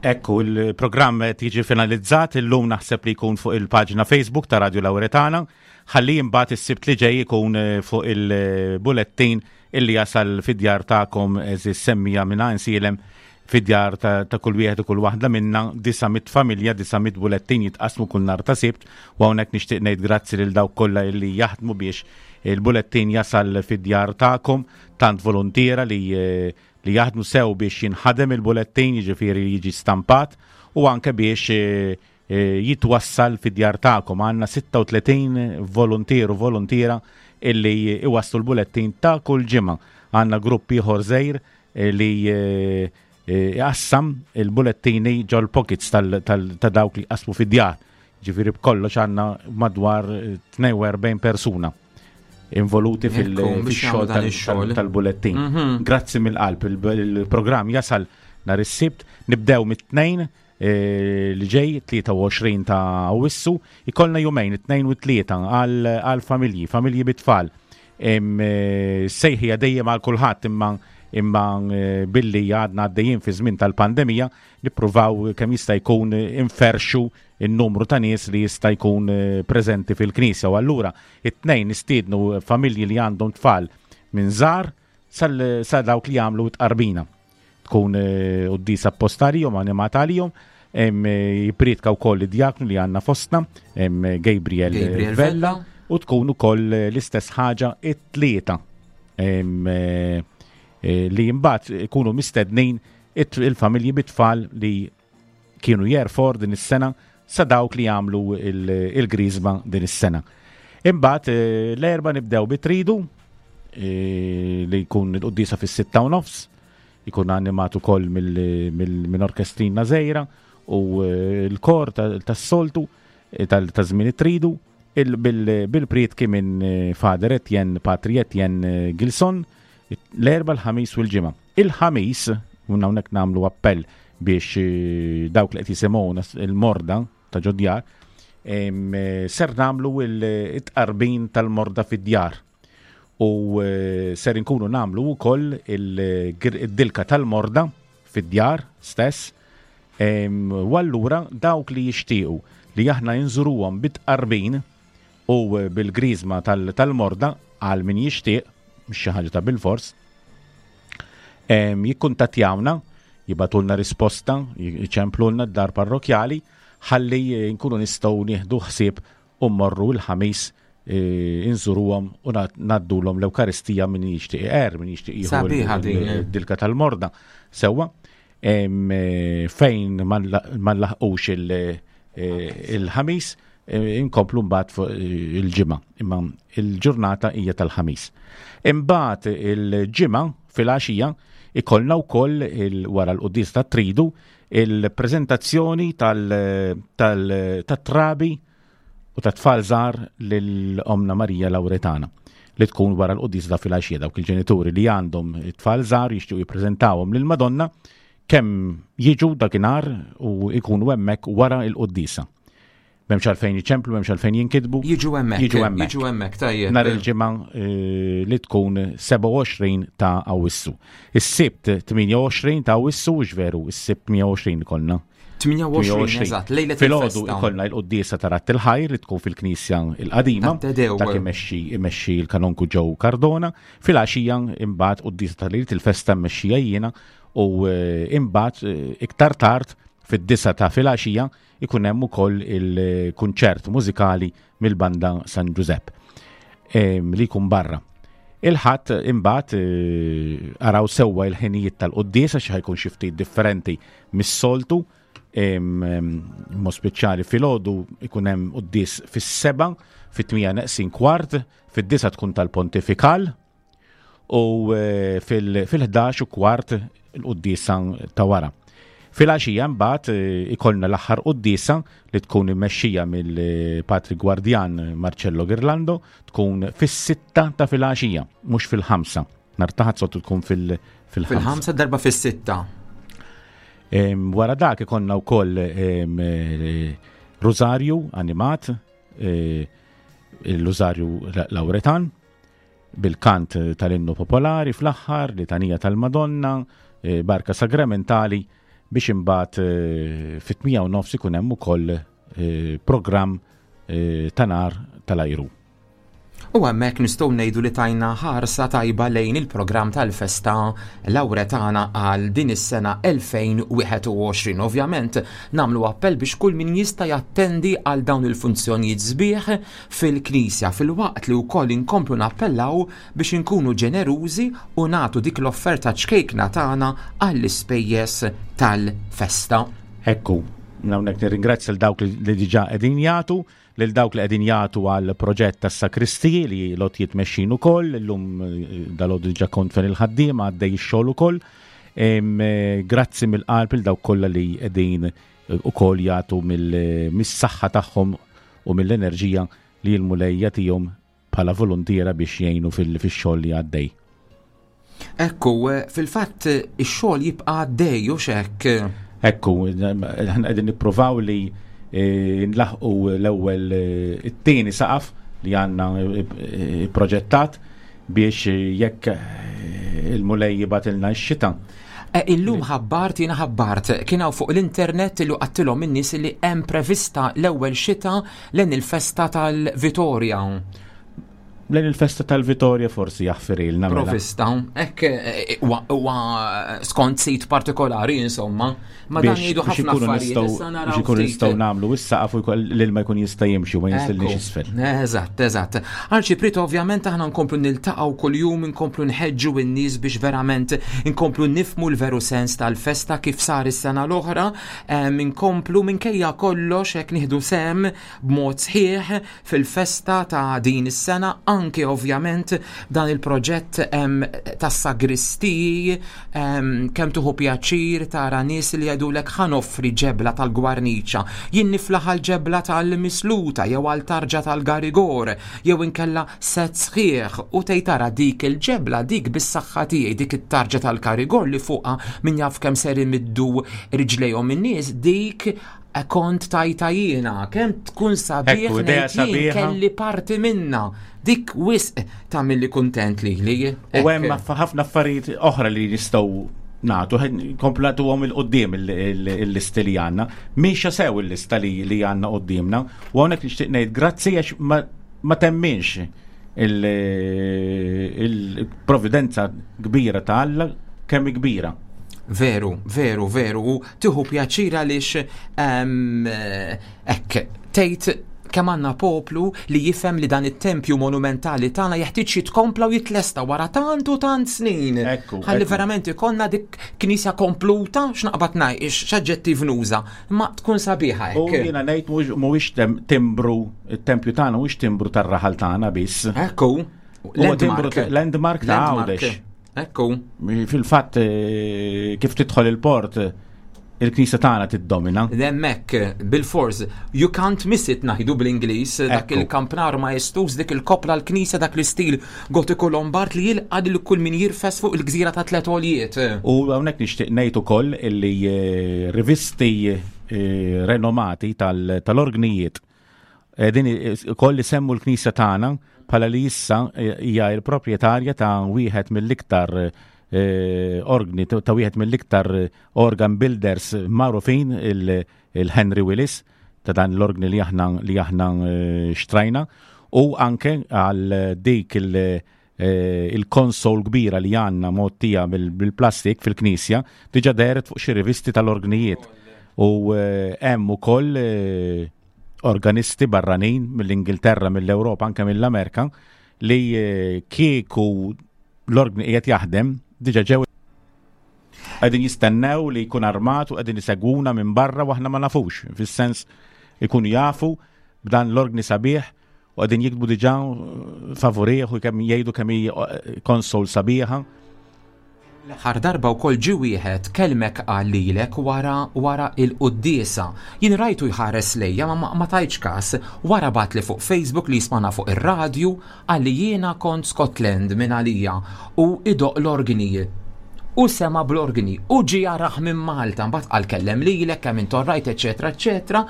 Ekku, il-programm qed jiġi finalizzat, illum naħseb li jkun fuq il-paġna Facebook ta' Radio Lauretana, ħalli imbagħad is-Sibt li ġej ikun eh, fuq il-bulettin illi jasal fid-djar tagħkom, għeżież semmiegħa minn Għajnsielem, fid-djar ta', ta' kull wieħed u kull waħda minna. Disa' mitt familja, disa' mitt bulettin jitqasmu kull nhar ta' Sibt, u hawnhekk nixtieq ngħid grazzi lil dawk kollha illi jaħdmu biex il-bulettin jasal fid-djar tagħkom, tant volontiera li eh, li jaħdmu sew biex jinħadem il-bulettin, jiġifieri jiġi stampat, u anke biex eh, eh, jitwassal fid-djar tagħkom. Għandna sitta u tletin volontier u volontiera illi iwasslu l-bulettin ta' kull ġimgħa. Għandna grupp ieħor żgħir eh, li eh, eh, jqassam il-bulettini ġol pockets tal- tal- ta' dawk li qasmu fid-djar. Ġifieri b'kollox għandna madwar eh, tnejn u erbgħin persuna involuti fil- Ekku, biex fil-xogħol jagħmlu dan tal- ix-xogħol. tal- tal-bulettin. Mhm. Grazzi mill-qalb, il- il-programm jasal nhar is-Sibt, nibdew mit-Tnejn eh, li ġej, tlieta u għoxrin ta' Awwissu, ikollna jumejn, it-Tnejn u tlieta għal għal familji, familji bit-tfal. Em, eh, Sejħija dejjem għal kulħadd, imma imma eh, billi għadna għaddejjin fi żmien tal-pandemija, nippruvaw kemm jista' jkun eh, inferxu il-numru ta' nies li jista' jkun eh, preżenti fil-knisja. U allura it-Tnejn nistiednu familji li għandhom tfal minn żgħar sal sa dawk li jagħmlu tqarbina. Tkun eh, quddiesa apposta għalihom, animata għalihom, em, eh, jippriedka wkoll id-djaknu li għandna fostna, em, Gabriel, Gabriel Vella, Vella. u tkun ukoll eh, l-istess ħaġa it-Tlieta. Em, eh, eh, li mbagħad ikunu mistednin it- il-familji bit-tfal li kienu Year Four din is-sena sa dawk li jagħmlu il- il-griżma din is-sena. Imbagħad eh, l-Erbgħa nibdew bit-tridu eh, li jkun il-quddiesa fis-sitta u nofs, jkun animat ukoll mill- mill- minn orkestrina żgħira u eh, l-kor ta- tas-soltu eh, tal- ta' żmien it-tridu il- bil- bil-prietki minn eh, Father Etienne, Patri Etienne eh, Gilson, l-Erbgħa, l-Ħamis u l-Ġimgħa. Il-Ħamis, un hawnhekk nagħmlu appell biex eh, dawk li qed jisimgħuna il-morda ta' ġod-djar, em, eh, ser nagħmlu il-tqarbin tal-morda fid-djar. U eh, ser inkunu nagħmlu wkoll il-dilka tal-morda fid-djar stess. Em, U allura dawk li jixtiequ li aħna nżuruhom bit-tqarbin u eh, bil-griżma tal- tal-morda għal min jixtieq, mhux xi ħaġa ta' bil-fors, em, jikkuntattjawna, jibagħtulna risposta, jċemplulna d-dar parrokjali, ħalli eh, nkunu nistgħu nieħdu ħsieb u mmorru l-Ħamis eh, inżuruhom u ngħaddulhom l-Ewkaristija, min jixtieq er, min jixtieq jieħu Sabiħa din, eh. il-dilka tal-morda. Sewwa, em, eh, fejn ma nlaħqux il- eh, il-Ħamis, eh, inkomplu mbagħad fuq eh, il-Ġimgħa, imma il-ġurnata hija tal-Ħamis. Imbagħad il-Ġimgħa fil-għaxija ikollna wkoll il- wara l-quddies tat-tridu il-preżentazzjoni tal-trabi u ta' tfal żgħar lil Omna Marija Lauretana li tkun wara l-quddies ta' filgħaxija. Dawk il-ġenituri li għandhom tfal żgħar jixtiequ jippreżentawhom lil Madonna, kemm jiġu dakinhar u jkunu hemmhekk wara l-quddiesa. M'hemmx għalfejn jiċemplu, m'hemmx għalfejn jinkitbu. Jiġu hemmhekk. Jiġu hemmhekk. Jiġu hemmhekk, tajjeb. Nhar il-Ġimgħa eh, li tkun sebgħa u għoxrin ta' Awwissu. Is-Sibt tmienja u għoxrin ta' Awwissu, veru, is-Sibt tmienja u għoxrin ikollna. tmienja u għoxrin, eżatt, lejlet Filgħodu il-festa. ikollna il-quddiesa ta' Radd il-Ħajr li tkun fil-Knisja il-Qadima. Ta' Tedew. Dak imexxi imexxi l-kanonku Joe Cardona. Filgħaxija imbagħad quddiesa ta' lejlet il-festa mmexxija jiena u eh, imbagħad eh, iktar tard fid-disgħa ta' filgħaxija ikun hemm ukoll il-kunċert mużikali mill-banda San Giuseppe em, li jkun barra. Il-Ħadd imbagħad eh, araw sewwa il-ħinijiet tal-quddiesa xi ħa jkun xi ftit differenti mis-soltu, em, em, mod speċjali filgħodu ikun hemm quddies fis-sebgħa, fit-tmienja neqsin kwart, fid-disgħa tkun tal-pontifikal u eh, fil- fil-ħdax u kwart il-quddiesa ta' wara. Filgħaxija mbagħad eh, ikollna l-aħħar quddiesa li tkun immexxija mill-Patri Gwardjan Marcello Girlando, tkun fis-sitta ta' filgħaxija, mhux fil-ħamsa. Nhar ta' Ħadd soltu tkun fil- fil-ħamsa. Fil-ħamsa, darba fis-sitta. Em, Wara dak ikollna wkoll em, eh, Rosarju animat, eh, il-Rosarju Lauretan, bil-kant tal-innu popolari fl-aħħar, litanija tal-Madonna, eh, barka sagramentali, biex imbagħad eh, fit-tmienja u nofs ikun hemm ukoll eh, programm eh, ta' nar tal-ajru. U hemmhekk nistgħu ngħidu li tajna ħarsa tajba lejn il-programm tal-festa Lawretana għal din is-sena elfejn u wieħed u għoxrin. Ovvjament nagħmlu appell biex kull min jista' jattendi għal dawn il-funzjonijiet sbieħ fil-Knisja, fil-waqt li wkoll inkomplu nappellaw biex inkunu ġenerużi u nagħtu dik l-offerta ċkejkna tagħna għall-ispejjeż tal-festa. Ekku, hawnhekk nirringrazzja l dawk li diġà qegħdin jagħtu, lil dawk li qegħdin jagħtu għal proġett tas-sakristiji li lot jitmexxin ukoll, illum, eh, dalgħodu diġà kont fejn il-ħaddiema għaddej ix-xogħol ukoll. Em, eh, grazzi mill-qalb lil dawk kollha li qegħdin, eh, ukoll jagħtu mill-, mis-saħħa tagħhom u mill-enerġija li l-Mulej jagħtihom bħala volontiera biex jgħinu fil-, fix-xogħol li għaddej. Ekku, eh, fil-fatt ix-xogħol jibqa' għaddej u x'hekk. Ekku, aħna qegħdin nippruvaw li, eh, nlaħqu l-ewwel, eh, it-tieni saqaf li għandna, eh, eh, proġettat biex jekk, eh, il-Mulej jibgħatilna x-xita. Eh, illum ħabbart, jiena ħabbart, kien hawn fuq l-internet li qattilhom in-nies li hemm prevista l-ewwel xita lejn il-festa tal-Vitorja. Lejn il-festa tal-Vitorja forsi jaħfirilna mela. Provista, hekk, eh, huwa, huwa skont sit partikolari, insomma. Ma dan Biex- jgħidu biex ħafna ikunu affarijiet, nistgħu- issa naraw biex ikunu ftit. nistgħu nagħmlu is-saqaf u jkoll l-ilma jkun jista' jimxi u ma jinżilniex Ekku. isfel. Eżatt, eżatt. Arċipriet, ovvjament aħna nkomplu niltaqgħu kuljum, nkomplu nħeġġu n-nies biex verament nkomplu nifmu l-veru sens tal-festa kif sar is-sena l-oħra, em, nkomplu minkejja kollox hekk nieħdu sem b'mod sħiħ fil-festa ta' din is-sena, anke ovvjament dan il-proġett, em, tas-sagristiji, em, kemm tuħu pjaċir tara nies li jgħidulek ħa noffri ġebla tal-gwarniċa, jien niflaħ għal ġebla tal-misluta jew għal tarġa tal-garigor, jew inkella set sħiħ u tgħid tara dik il-ġebla, dik bis-saħħa tiegħi, dik it-tarġa tal-garigor li fuqha min jaf kemm ser imiddu riġlejhom in-nies, dik kont tajta jiena, kemm tkun sabiħ Ekku, idea ngħid jien sabiħa. kelli parti minna. Dik wisq tagħmilli kuntent lili. U hemm Ekk. aff-, ħafna affarijiet oħra li nistgħu nagħtu, ħed-, komplatu għom il-qoddim il-, il-, il-listi li għandna. Miexa sew il-lista li, li għandna qoddimna. U hawnhekk nixtieq ngħid grazzi għax ma, ma temminx il-, il-providenza kbira ta' Alla kemm kbira. Veru, veru, veru. U tieħu pjaċir għaliex, ehm, hekk, tgħid kemm għandna poplu li jifhem li dan it-tempju monumentali tagħna jeħtieġ jitkompla u jitlesta wara tant u tant snin. Ekku, Ħalli ekku. verament ikollna dik knisja kompluta, x'naqbad ngħid, x'aġġettiv nuża, ma tkun sabiħa U hekk. jiena ngħid mhuwiex, mhuwiex tem-, timbru, it-tempju tagħna mhuwiex timbru tar-raħal tagħna biss. Ekku. Huwa timbru Landmark. ta-, landmark ta' Landmark. Għawdex. Ekku. Fil-fatt, eh, kif tidħol il-port, il-knisja tagħna tiddomina. Hemmhekk, bil-fors, you can't miss it ngħidu bl-Ingliż, dak Ekku. il-kampnar maestuż, dik il-kopla l-knisja, dak l-istil gotiku Lombard li jilqa' lil kull min jirfes fuq il-gżira ta' tliet għoljiet. U hawnhekk nixtieq ngħid ukoll illi, eh, rivisti, eh, renomati tal-, tal-orgnijiet eh, din ukoll isemmu l-knisja tagħna bħala li issa, eh, hija l-proprjetarja ta' wieħed mill-iktar, eh, orgni, ta' wieħed mill-iktar organ builders magħrufin, il-, il-Henry Willis, ta' dan l-orgni li aħna, li aħna, eh, xtrajna, u anke għal dik il-, eh, il-konsol kbira li għandna mottija bil-, bil-plastik fil-knisja, diġa dehret fuq xi rivisti tal-orgnijiet. U, eh, hemm ukoll, eh, organisti barranin mill-Ingilterra, mill-Ewropa, anke mill-Amerika, li, eh, kieku l-orgni qiegħed jaħdem, diġa ġew qegħdin jistennew li jkun armat u qegħdin isegwuna minn barra u aħna ma nafux, fis-sens ikunu jafu b'dan l-orgni sabiħ u qegħdin jiktbu diġà favorih u kemm jgħidu kemm hi konsol sabiħa. L-aħħar darba wkoll ġie wieħed kelmek qal lilek wara, wara il-quddiesa. Jien rajtu jħares lejja ma, ma, ma tajtx każ, wara bagħatli fuq Facebook li jismana fuq ir-radju, qal li jiena kont Scotland minn għalija u idoq l-orgni. U sema bl-organi u ġie jarah minn Malta, mbagħad qal kellem lilek kemm int orrajt, eċetera, eċetera.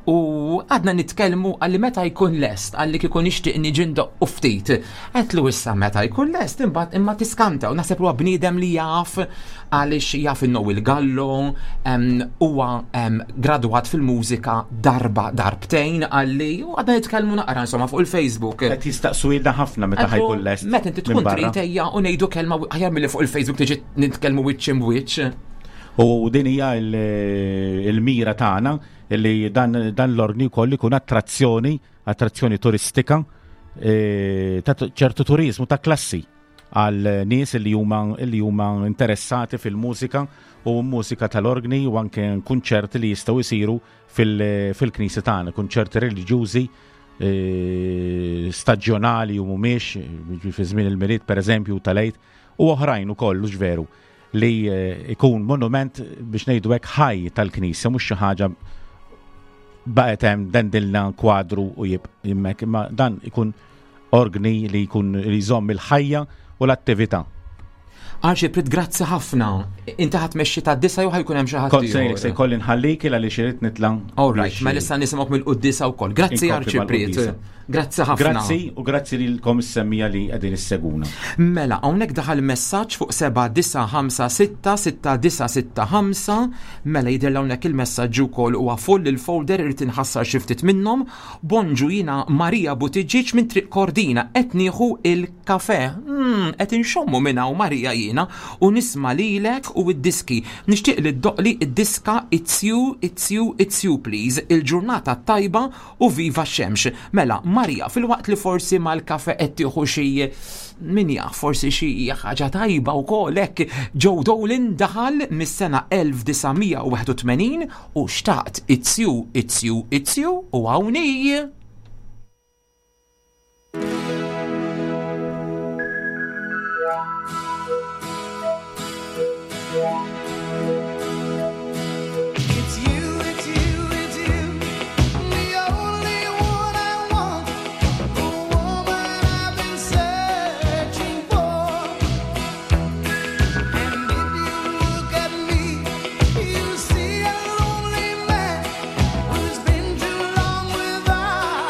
U għadna nitkellmu għalli meta jkun lest, għalli kieku nixtieq niġi ndoqqu ftit. Għedtlu issa meta jkun lest, imbagħad imma tiskanta u naħseb huwa bniedem li jaf għaliex jaf il Gallo, huwa gradwat fil-mużika darba darbtejn għalli u għadna nitkellmu naqra insomma fuq il-Facebook. Qed jistaqsu ħafna meta ħa jkun lest. Meta inti tkun trid ejja u ngħidu kelma aħjar milli fuq il-Facebook tiġi nitkellmu wiċċ imwiċċ. U din hija il-mira tagħna li dan, dan l-orgni wkoll ikun attrazzjoni, attrazzjoni turistika, e, ta' ċertu turizmu ta' klassi għal nies li huma li huma interessati fil-mużika u mużika tal-orgni u anke kunċerti li jistgħu jsiru fil-knisja tagħna, kunċerti reliġjużi e, staġjonali u mhumiex fi żmien il-Milied pereżempju tal-Għid u oħrajn ukoll veru li ikun monument biex ngħidu hekk ħaj tal-knisja mhux xi ħaġa baqgħet hemm dendilna kwadru u jibqa' imma dan ikun orgni li jkun li jżomm il-ħajja u l-attività. Arċipriet, grazzi ħafna. Inti ħa tmexxi ta' disgħa jew ħa jkun hemm xi ħadd. Kont se jkolli nħallik għaliex irid nitla'. All right, mela issa nisimgħu mill-quddiesa wkoll. Grazzi Arċipriet. Grazzi ħafna. Grazzi u grazzi lilkom is-semmiegħa li qegħdin issegwuna. Mela, hawnhekk daħal messaġġ fuq seba' disa' ħamsa sitta sitta disa' sitta ħamsa. Mela jidher hawnhekk il-messaġġ ukoll huwa full il-folder irid inħassar xi ftit minnhom. Bonġu jiena Marija Buttigieg minn Triq Kordina qed nieħu il-kafe. Hmm, qed inxommu minn hawn Marija jiena u nisma' lilek u id-diski. Nixtieq li ddoqli id-diska It's You, It's You, It's You please. Il-ġurnata tajba u viva x-xemx. Mela, Marija, fil-waqt li forsi mal-kafe qed tieħu xi min jaf, forsi xi ħaġa tajba wkoll hekk Joe Dolan daħal mis-sena elf disa' mija u wieħed u tmenin u xtaqt It's You, It's You, It's You u hawnhi. It's you, it's you, it's you, the only one I want, the woman I've been searching for. And if you look at me, you see a lonely man who's been too long without.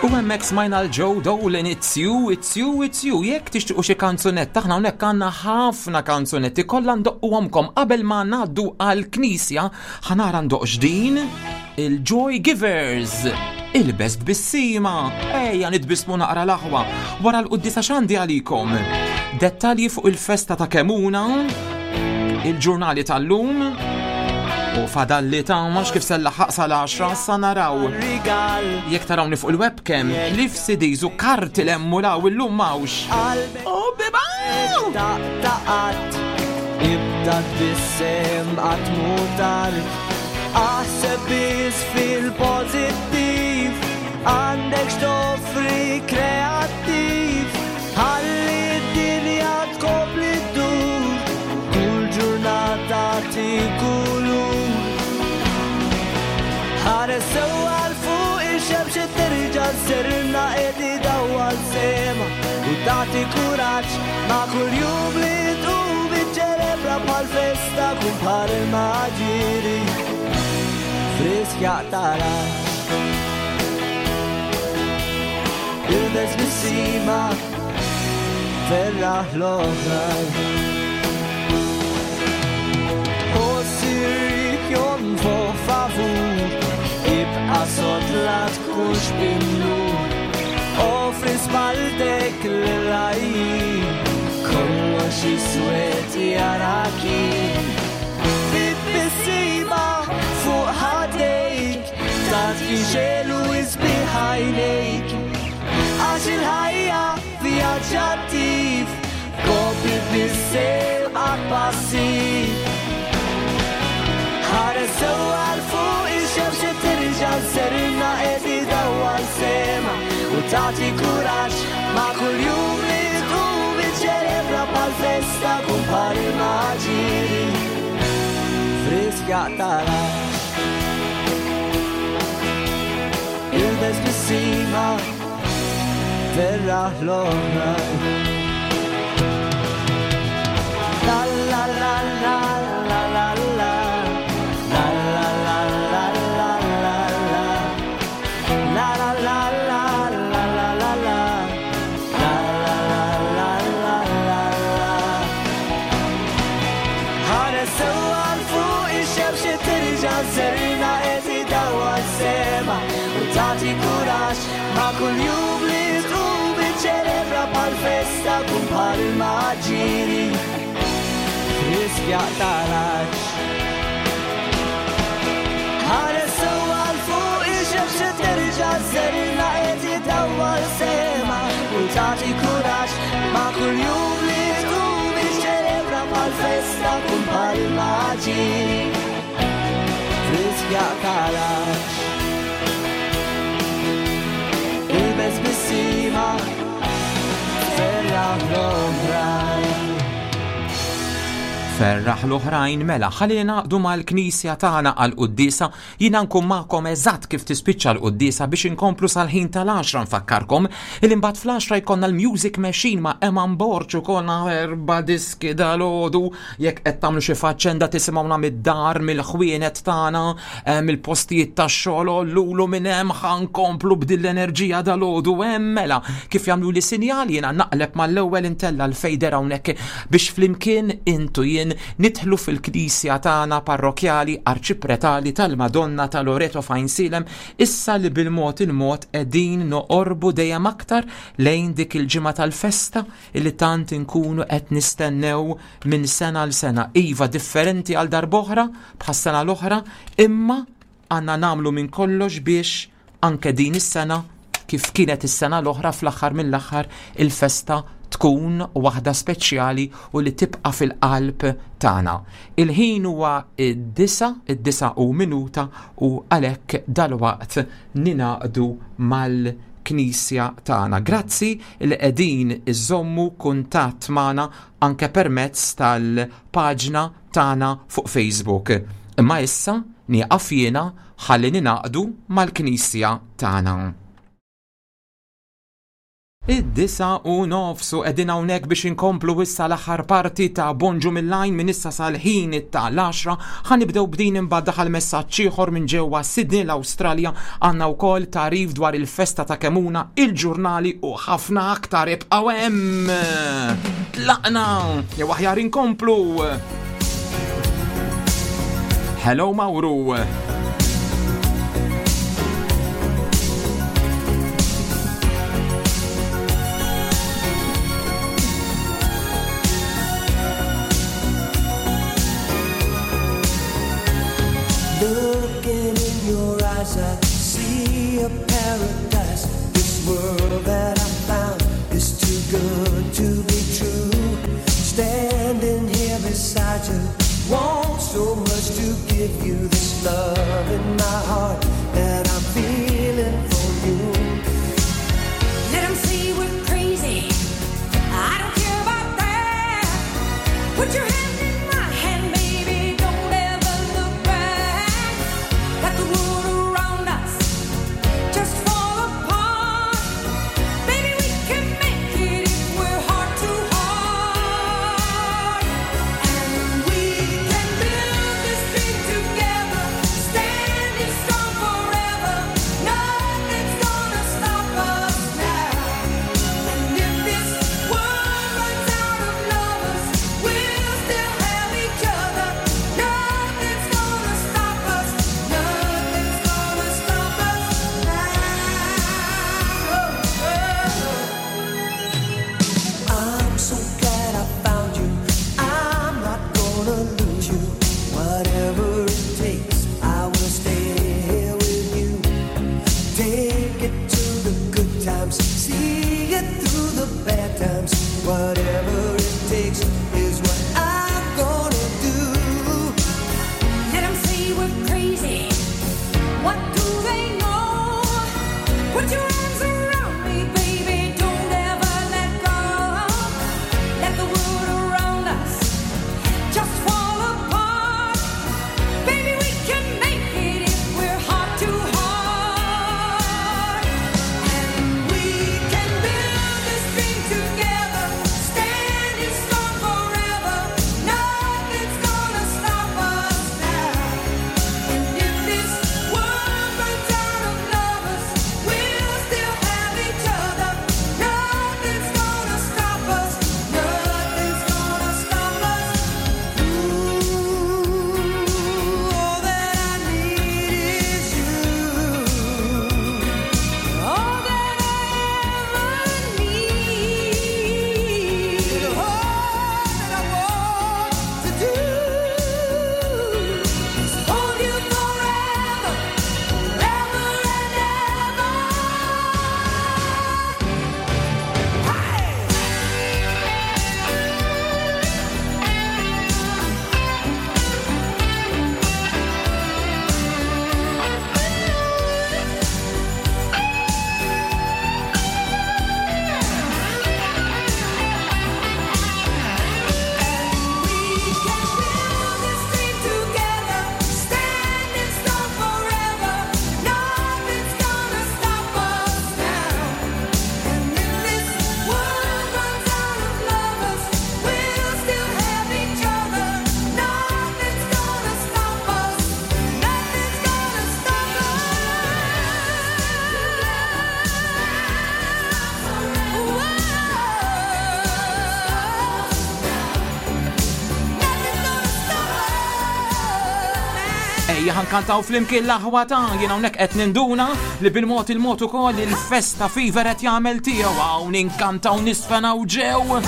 U hemmhekk smajna l-Joe Dolan, It's You, It's You, It's You. Jekk tixtiequ xi kanzunetta, aħna hawnhekk għandna ħafna kanzunetti kollha ndoqquhomkom qabel ma ngħaddu għall-knisja, ħa nara ndoqq x'din il-Joy Givers. Ilbes tbissima, ejja nitbismu naqra l-aħwa. Wara l-quddiesa x'għandi għalikom. Dettalji fuq il-festa ta' Kemuna, il-ġurnali tal-lum, u fadalli ta' max kif sellaħaq sal-għaxra sa naraw. Jekk tarawni fuq il-webcam, ħlief C Ds u karti l-emmulaw illum mawx. Oh, biba! Taqtaqat, ibda tbissem qatt mhu tard. Aħseb biss fil-pożittiv, għandek x'toffri kreattiv. Ħalli d-dinja tkompli ddur, kull ġurnata kulur. Ħares sewwa 'l fuq, ix-xemx terġa' żżurna, qed idawwal sema u tagħti kuraġġ ma' kull jum li tqum iċċelebra bħal festa, kun bħal il-maġiri frisk jaqtarax. Ilbes tbissima, ferraħ l-oħrajn. Ħoss ir-riħ jonfoħ favur, ibqa' sod, la tkunx bimnur. Offri spalltek l-lajn, kollox iswed jarak jien. Bit-tbissima fuq ħaddejk, tagħti xelu isbiħ għajnejk. Għax il-ħajja vjaġġ attiv, kompli tbissem għak passiv. Ħares sewwa 'l fuq, ix-xemx terġa' żżurna, qed idawwal sema u tagħti kuraġġ ma' kull jum li tqum iċċelebra bħal festa, kun bħal il-maġiri frisk jaqtarax. Ilbes tbissima, ferraħ l-oħrajn. La la la la la la la. La la la la la la la. La la la la la la la la. La la la la la la la. Ħares sewwa 'l fuq, ix-xemx terġa' żżurna, qed idawwal sema u tagħti kuraġġ ma' kull jum li tqum iċċelebra bħal festa, kun bħal il-maġiri frisk jaqtarax. Ħares sewwa 'l fuq, ix-xemx terġa' żżurna, qed idawwal sema u tagħti kuraġġ ma' kull jum li tqum iċċelebra bħal festa, kun bħal il-maġiri frisk jaqtarax. Ilbes tbissima, ferraħ l-oħrajn. Ferraħ l-oħrajn. Mela, ħalli naqdu mal-knisja tagħna għal-quddiesa. Jiena nkun magħkom eżatt kif tispiċċa l-quddiesa biex inkomplu sal-ħin tal-għaxra. Nfakkarkom il imbagħad fl-għaxra jkollna l-Music Machine ma' Eman Borg u kollna erba' diski dalgħodu. Jekk qed tagħmlu xi faċenda, tisimgħuna mid-dar, mill-ħwienet tagħna, eh, mill-postijiet tax-xogħol, lulu minn hemm ħa nkomplu b'din l-enerġija dalgħodu hemm. Mela, kif jagħmlu li sinjal, jiena naqleb mal-ewwel, intella l-fader hawnhekk biex flimkien intu jien nidħlu fil-knisja tagħna parrokjali arċipretali tal-Madonna ta' Loreto f'Għajnsielem, issa li bil-mod il-mod qegħdin noqorbu dejjem aktar lejn dik il-ġimgħa tal-festa li tant inkunu qed nistennew minn sena l sena. Iva, differenti għal darb'oħra bħas-sena l-oħra, imma għandna nagħmlu minn kollox biex anke din is-sena, kif kienet is-sena l-oħra, fl-aħħar mill-aħħar il-festa tkun waħda speċjali u li tibqa' fil-qalb tagħna. Il-ħin huwa id-disa, id-disa u minuta, u għalhekk dalwaqt ningħaqdu mal-Knisja tagħna. Grazzi li qegħdin iżommu kuntatt magħna anke permezz tal-paġna tagħna fuq Facebook. Imma issa nieqaf jiena ħalli ningħaqdu mal-Knisja tagħna. Id-disgħa u nofs u qegħdin hawnhekk biex inkomplu issa l-aħħar parti ta' Bonġu mill-Għajn minn issa sal-ħin ta' l-għaxra. Ħa nibdew b'din, imbagħad daħal messaġġ ieħor minn ġewwa Sydney l-Awstralja, għandna wkoll tagħrif dwar il-festa ta' Kemuna, il-ġurnali u ħafna aktar. Ibqgħu hemm. Tlaqna, jew aħjar inkomplu. Hello Mauru. Looking in your eyes, I see a paradise. This world that I found is too good to be true. Standing here beside you, want so much to give you this love in my heart that I'm feeling for you. Let 'em say we're crazy. I don't care about that. Put your hand in my hand, baby. Don't ever look back. Let the world around us just fall apart. Baby, we can make it if we're heart to heart. And we can build this dream together, standing strong forever. Nothing's gonna stop us now. And if this world runs out of lovers, we'll still have each other. Nothing's gonna stop us. Nothing's gonna stop us now. I'm so glad I found you. I'm not gonna lose you. Whatever it takes, I will stay here with you. Take it to the good times, see it through the bad times. Whatever it takes is what I'm gonna do. Let 'em say we're crazy. What do they know? Put your arms around me, baby. Don't ever let go. Let the world around us just fall apart. Baby, we can make it if we're heart to heart. And we can build this dream together, standing strong forever. Nothing's gonna stop us now. And if this world runs out of lovers, we'll still have each other. Nothing's gonna stop us. Nothing's gonna stop us. Ooh, all that I need is you. All that I ever need. All that I want to do is hold you forever, forever and ever. We can build this dream together, standing strong forever. Nothing's gonna stop us now. And if this world runs out of lovers, we'll still have each other. Nothing's gonna stop us. Nothing's gonna stop us. Ejja ħa nkantaw flimkien l-aħwa ta' jien hawnhekk qed ninduna li bil-mod il-mod ukoll il-festa fever qed jagħmel tiegħu hawn inkantaw nisfenaw ġew. Uh!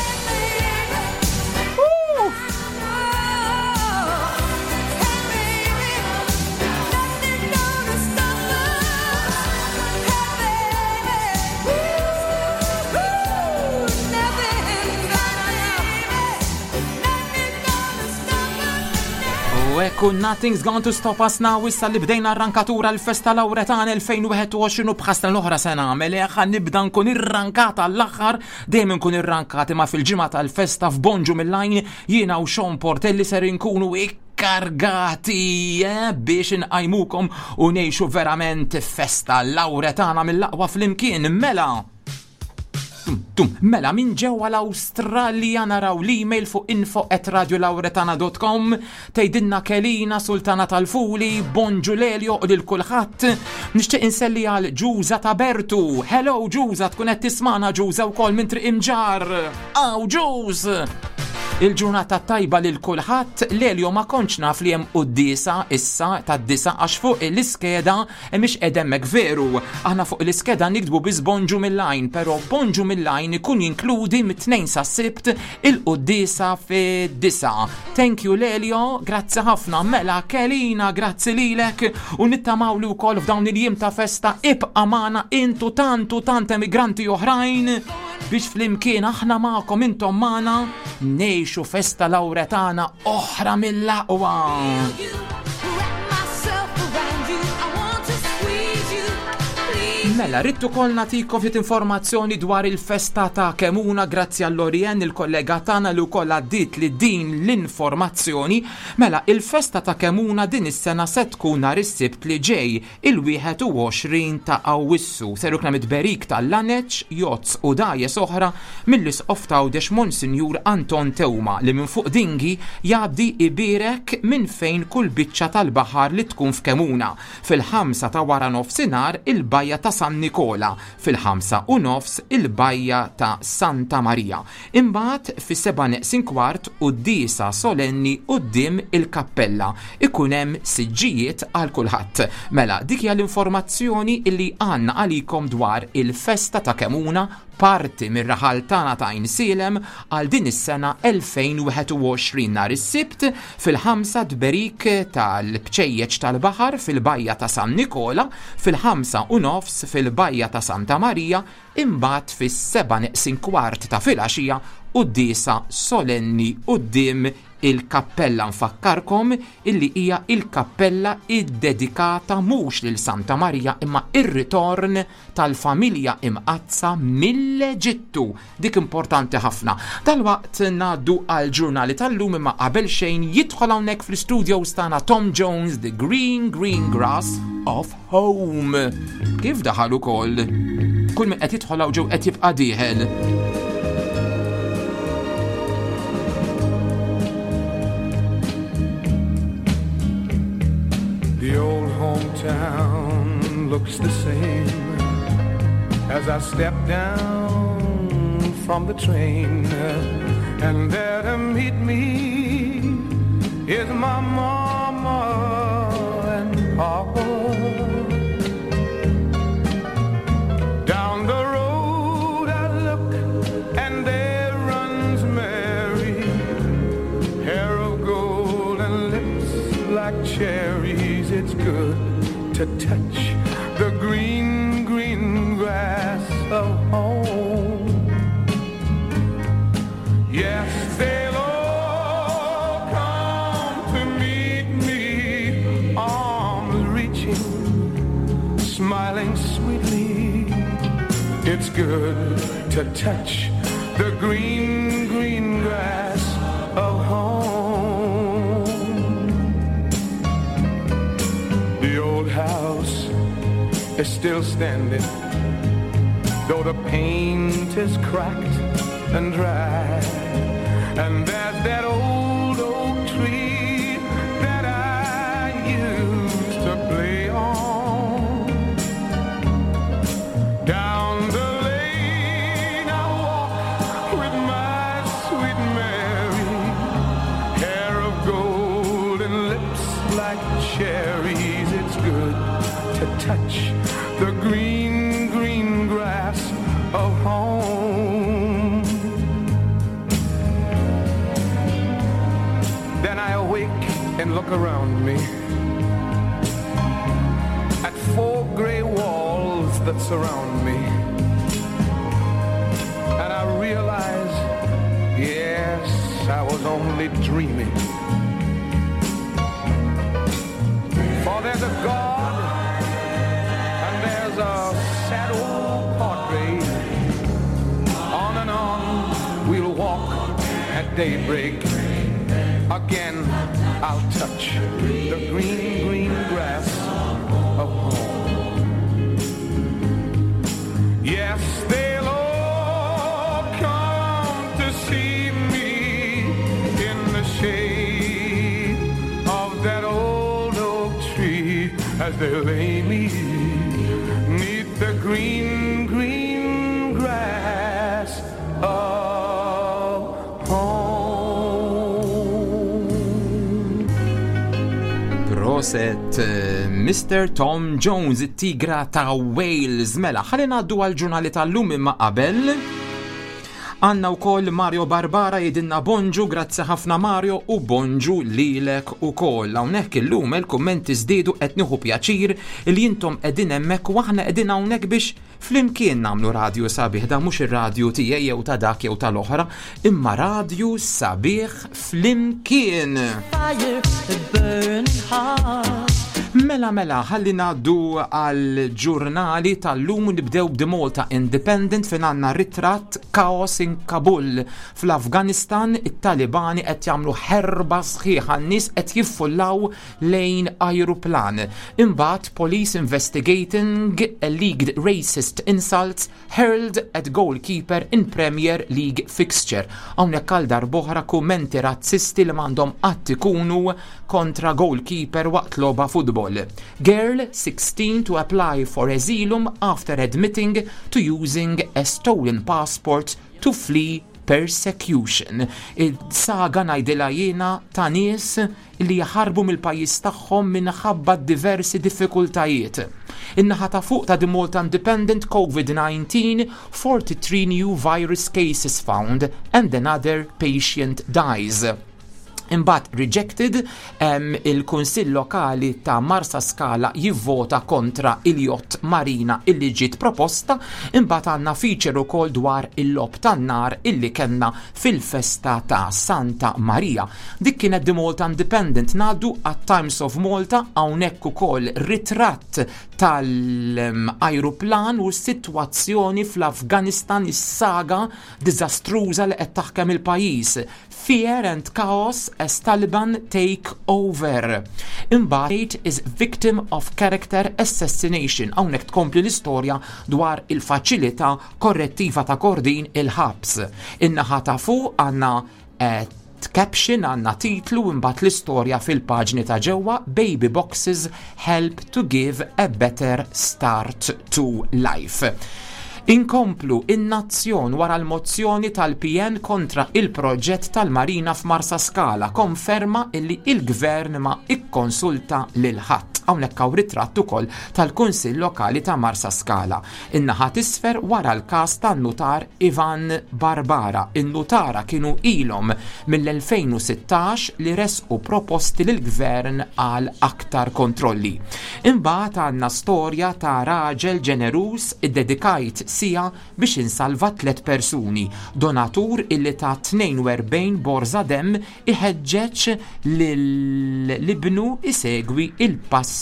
U ekku Nothing's Going to Stop Us Now issa li bdejna arrankatura l-festa Lawretana elfejn u wieħed u għoxrin u bħasna l-oħra se nagħmel eh, ħa nibda nkun irrankata l-aħħar, dejjem nkun irrankati ma fil-ġimgħa tal-festa f'Bonġu mill-Għajn jiena u Sean Portelli ser inkunu ikkargati eh, biex inqajmukom u ngħixu verament festa Lawretana mill-aqwa flimkien mela. Tum. Mela, minn ġewwa l-Awstralja naraw l-email fuq info at radiolauretana dot com, tgħidilna Kelina Sultana tal-Fuli, bonġu Lelio u lil kulħadd. Nixtieq inselli għal Ġuża ta' Bertu. Hello Ġuża, tkun qed tismana Ġuża wkoll minn Triq Imġar. Aw Ġuż! Il-ġurnata tajba lil kulħadd. Lelio, ma kontx naf li hemm quddiesa issa tad-disgħa, għax fuq l-iskeda mhix hemmhekk, veru. Aħna fuq l-iskeda niktbu biss bonġu mill-għajn, però bonġu mill-għajn ikun jinkludi mit-Tnejn sa Sibt il-quddiesa fid-disgħa. Thank you Lelio, grazzi ħafna. Mela Kelina, grazzi lilek u nittamaw li wkoll f'dawn il-jiem ta' festa ibqa' magħna intu tantu tant emigranti oħrajn biex flimkien aħna magħkom, intom magħna, ngħixu festa Lawretana oħra mill-aqwa. Myself around you, I want to squeeze you. Please. Mela, rrid ukoll nagħtikom ftit informazzjoni dwar il-festa ta' Kemuna grazzi għall-Orien, il-kollega tagħna li wkoll għaddiet li din l-informazzjoni. Mela, il-festa ta' Kemuna din is-sena se tkun nhar is-Sibt li ġej, il-wieħed u għoxrin ta' Awwissu. Ser ikun hemm tberik tal-laneċ, jotz u dgħajjes oħra mill-Isqof t'Għawdex Monsinjur Anton Teuma, li minn fuq dingi jgħaddi ibirek minn fejn kull biċċa tal-baħar li tkun f'Kemuna. Fil-ħamsa ta' wara nofsinhar il-bajja ta' San Nikola, fil-ħamsa u nofs il-bajja ta' Santa Maria. Imbagħad fis-seba' neqsin kwart quddiesa solenni quddiem il-kappella. Ikun hemm siġġijiet għal kulħadd. Mela, dik hija l-informazzjoni illi għandna għalikom dwar il-festa ta' Kemuna, parti mir-raħal tagħna ta' Għajnsielem, għal din is-sena elfejn u wieħed u għoxrin. Nhar is-Sibt fil-ħamsa tberik tal-bċejjeċ tal-baħar fil-bajja ta' San Nikola, fil-ħamsa u nofs fil-bajja ta' Santa Maria, imbagħad fis-seba' neqsin kwart ta' filgħaxija quddiesa solenni quddiem il-kappella. Nfakkarkom illi hija il-kappella iddedikata mhux lil Santa Maria imma ir-ritorn tal-familja imqazza mill-Eġittu. Dik importanti ħafna. Dalwaqt ngħaddu għal ġurnali tal-lum, imma qabel xejn jidħol hawnhekk fl-studio tagħna Tom Jones, The Green Green Grass of Home. Kif daħal ukoll? Kull min qed jidħol hawn ġew qed jibqa' dieħel. The old hometown looks the same as I step down from the train. And there to meet me is my mama and papa. Down the road I look and there runs Mary, hair of gold and lips like cherries. It's good to touch the green, green grass of home. Yes, they'll all come to meet me, arms reaching, smiling sweetly. It's good to touch the green, green grass of home. The old house is still standing, though the paint is cracked and dry. And there's that old oak tree that I used to play on. Down the lane I walk with my sweet Mary, hair of gold and lips like cherries. It's good to touch the green, green grass of home. Then I awake and look around me at four gray walls that surround me. And I realize, yes, I was only dreaming. For there's a God and there's a sad old portrait. On and on we'll walk at daybreak. Again, I'll touch the green, green grass of home. Yes, they'll all As they lay me 'neath the green, green grass of home. Prosit eh, Mister Tom Jones, it-tigra ta' Wales. Mela, ħalli ngħaddu għal-ġurnali tal-lum, imma qabel għandna wkoll Mario Barbara jgħidilna bonġu, grazzi ħafna, Mario, u bonġu lilek ukoll. Hawnhekk illum il-kummenti żdiedu, qed nieħu pjaċir li intom qegħdin hemmhekk u aħna qegħdin hawnhekk biex flimkien nagħmlu radju sabiħ. Da mhux ir-radju tiegħi jew ta' dak jew tal-oħra, imma radju sabiħ flimkien. Fire, the burning heart. Mela, mela, ħalli ngħaddu għal ġurnali tal-lum. Nibdew b'The Malta Independent fejn għandna ritratt, "Chaos in Kabul". Fl-Afganistan it-Talibani qed jagħmlu ħerba sħiħa, n-nies qed jiffullaw lejn ajruplan. Imbagħad "Police investigating alleged racist insults hurled at goalkeeper in Premier League fixture". Hawnhekk għal darb'oħra kummenti razzisti li m'għandhom qatt ikunu kontra goalkeeper waqt logħba futbol. "Girl sixteen to apply for asylum after admitting to using a stolen passport to flee persecution". Il-saga, ngħidilha jiena, ta' nies li jaħarbu mill-pajjiż tagħhom minħabba diversi diffikultajiet. In-naħa ta' fuq ta' The Malta Independent, "COVID nineteen, forty-three new virus cases found and another patient dies". Imbagħad "Rejected", um, il-Kunsill Lokali ta' Marsa Skala jivvota kontra il-yacht marina illi ġiet proposta. Imbagħad għandna feature ukoll dwar il-logħob tan-nar illi kellna fil-festa ta' Santa Maria. Dik kienet The Malta Independent. Ngħaddu għat Times of Malta, hawnhekk ukoll ritratt tal-ajruplan u s-sitwazzjoni fl-Afganistan, is-saga diżastruża li qed taħkem il-pajjiż. "Fear and chaos as Taliban take over". Imbagħad "is victim of character assassination". Hawnhekk tkompli l-istorja dwar il-faċilità korrettiva ta' Kordin, il-ħabs. In-naħa ta' fuq għandna eh, caption, għandna titlu, imbagħad l-istorja fil-paġni ta' ġewwa, "Baby boxes help to give a better start to life". Inkomplu, In-Nazzjon, wara l-mozzjoni tal-P N kontra il-proġett tal-Marina f'Marsa Skala, konferma illi il-gvern ma ikkonsulta lil ħadd. Hawnhekk hawn ritratt ukoll tal-Kunsill Lokali ta' Marsa Skala. In-naħa t'isfel, wara l-każ tan-nutar Ivan Barbara. In-nutara kienu ilhom mill-elfejn u sittax li resqu proposti lill-gvern għal aktar kontrolli. Imbagħad għandna storja ta' raġel ġenerus, iddedikajt siegħa biex insalva tliet persuni. Donatur illi ta tnejn u erbgħin borza dem iħeġġeġ lil ibnu isegwi il-passi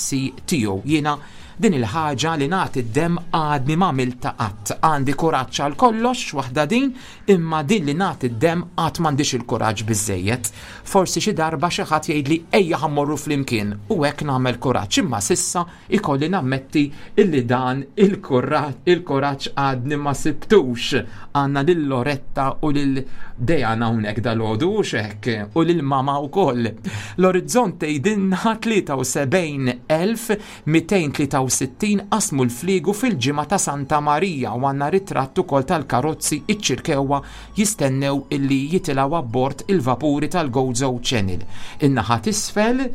tiegħu. Jiena din il-ħaġa li nagħti d-dem għadni ma għamiltha qatt. Għandi kuraġġ għal kollox, waħda din, imma din li nagħti d-dem qatt m'għandix il-kuraġġ biżejjed. Forsi xi darba xi ħadd jgħidli ejja ħa mmorru flimkien u hekk nagħmel kuraġġ, imma s'issa ikolli nammetti illi dan il-kuraġġ għadni ma sibtux. Għandna lil Loretta u lil Dejana hawnhekk dalgħodu u xek u lil mama wkoll. L-Orizzont jgħidilna tlieta u sebgħin elf mitejn tlieta u sittin qasmu l-fliegu fil-ġimgħa ta' Santa Marija u għandna ritratt ukoll tal-karozzi iċ-Ċirkewwa jistennew illi jitilgħu abbord il-vapuri tal-Gozo Channel. In-naħa t'isfel,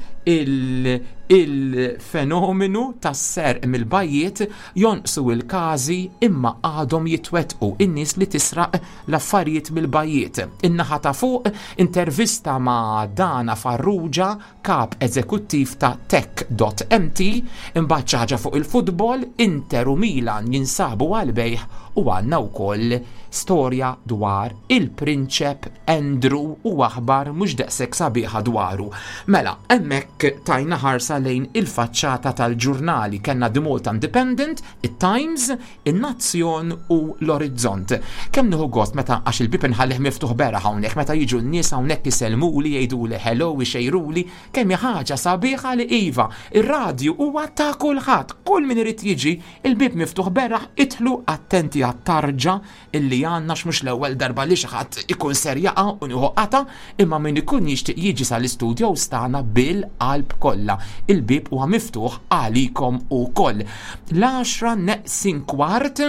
il-fenomenu tas-serq mill-bajjiet, jonqsu il-każi imma għadhom jitwetqu, in-nies li tisraq l-affarijiet mill-bajjiet. In-naħa ta' fuq, intervista ma' Dana Farrugia, kap eżekuttiv ta' Tech dot M T, imbagħad xi ħaġa fuq il-futbol, Inter u Milan jinsabu għal-bejgħ, u għandna wkoll storja dwar il-Prinċep Andrew u aħbar mhux daqshekk sabiħa dwaru. Mela, hemmhekk tajna ħarsa lejn il-faċċata tal-ġurnali, kellna The Malta Independent, it-Times, in-Nazzjon u l-Orizzont. Kemm nieħu gost meta, għax il-bib inħallih miftuħ beraħ hawnhekk, meta jiġu n-nies hawnhekk isellmuli, jgħiduli hello, ixejruli, kemm hi ħaġa sabiħa li iva, ir-radju huwa ta' kulħadd, kull min irid jiġi, il-bib miftuħ beraħ, idħlu, attenti għat-tarġa illi għandna, mhux l-ewwel darba li xi ħadd ikun ser jaqa' u nieħu qata, imma min ikun jixtieq jiġi sal-istudio tagħna bil-qalb kollha. il-bib huwa miftuħ għalikom ukoll. L-għaxra neqsin kwart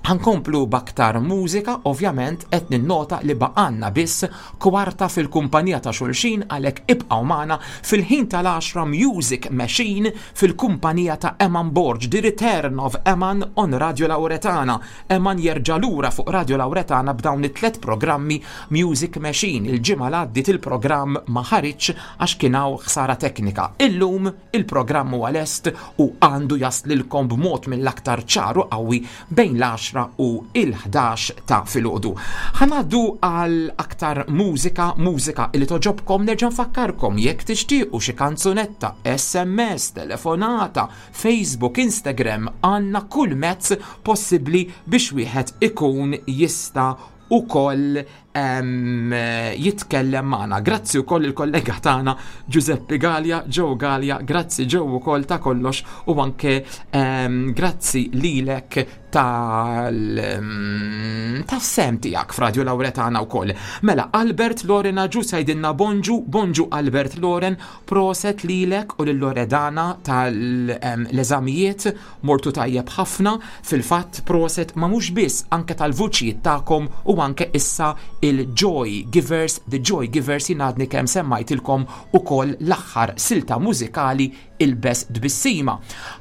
ħankomplu b'aktar mużika, ovvjament qed ninnota li baqanna biss kwarta fil-kumpanija ta' xulxin, għalhekk ibqgħu magħna fil-ħin tal-għaxra Music Machine fil-kumpanija ta' Eman Borg, The Return of Eman on Radio Lauretana. Eman jerġa' lura fuq Radio Lauretana b'dawn it-tlet programmi Music Machine. Il-ġimgħa li għaddiet il-programm ma ħariġx għax kien hawn ħsara teknika. Illum il-programm huwa lest u għandu jaslilkom b'mod mill-aktar ċaru qawwi bejn l-għaxra u il-ħdax ta' filgħodu. Ħanaddu għal aktar mużika, mużika li toġobkom. Nerġa' nfakkarkom jekk tixtiequ xi kanzunetta, S M S, telefonata, Facebook, Instagram, għandna kull mezz possibbli biex wieħed ikun jista' ukoll, em, jitkellem magħna. Grazzi wkoll il-kollega tagħna Giuseppe Gallia, Joe Gallia, grazzi Joe ukoll ta' kollox, u anke, em, grazzi lilek tal, em, tas-sem tiegħek f'Radio Lauretana wkoll. Mela, Albert Loren Aġu sajdinna bonġu, bonġu Albert Loren, proset lilek u lil Loredana tal-eżamijiet, mortu tajjeb ħafna, fil-fatt proset ma mhux biss anke tal-vuċijiet tagħkom u anke issa il-Joy Givers, The Joy Givers jingħadni kemm semmajtilkom ukoll l-aħħar silta mużikali Ilbes Tbissima.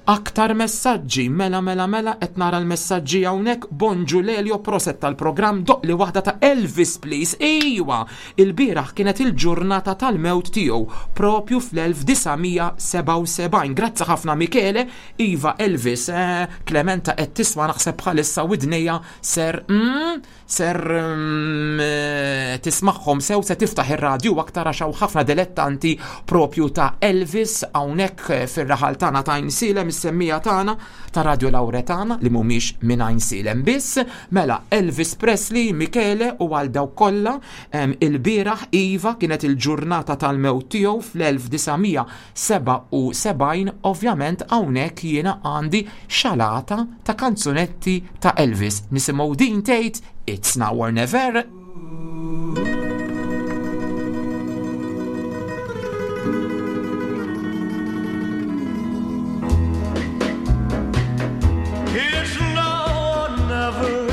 Aktar messaġġi, mela, mela, mela, qed nara l-messaġġi hawnhekk. Bonġu Lelio, proset tal-programm, doqli waħda ta' Elvis please. Ejwa, il-bieraħ kienet il-ġurnata tal-mewt tiegħu propju fl-elf disa' mija sebgħa u sebgħin. Grazzi ħafna Michele. Iva Elvis, eh, Clementa qed tisma' naħseb bħalissa widnejja ser, mm, ser, mm, eh, tismagħhom sew, se tiftaħ ir-radju aktar għax hawn ħafna dilettanti propju ta' Elvis hawnhekk fir-raħal tagħna ta' Għajnsielem, is-semmija tagħna ta' Radio Lauretana li mhumiex minn Għajnsielem biss. Mela Elvis Presley, Michele, u għal dawk kollha, em, il-bieraħ iva kienet il-ġurnata tal-mewt tiegħu fl-elf disa' mija sebgħa u sebgħin. Ovvjament hawnhekk jiena għandi xalata ta' kanzunetti ta' Elvis. Nisimgħu din tgħid It's Now or Never. It's now or never.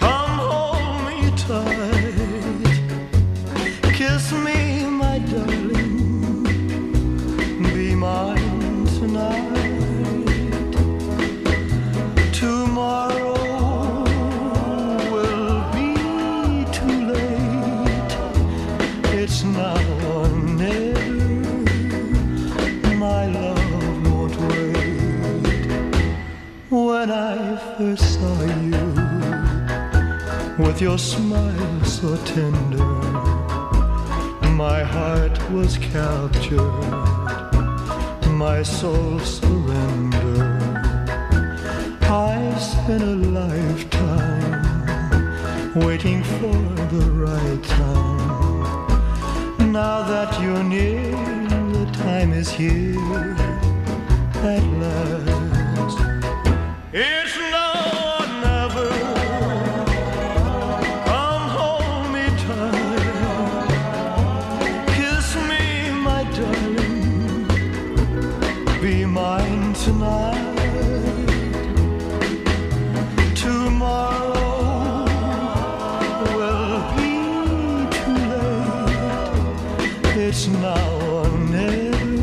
Come hold me tight. Kiss me, my darling. Be mine tonight. Tomorrow will be too late. It's now or never. My love won't wait. When I first saw you, with your smile so tender, my heart was captured, my soul surrendered. I've spent a lifetime waiting for the right time. Now that you're near, the time is here at last. It's now or never. Come hold me tight. Kiss me, my darling. Be mine tonight. Tomorrow will be too late. It's now or never.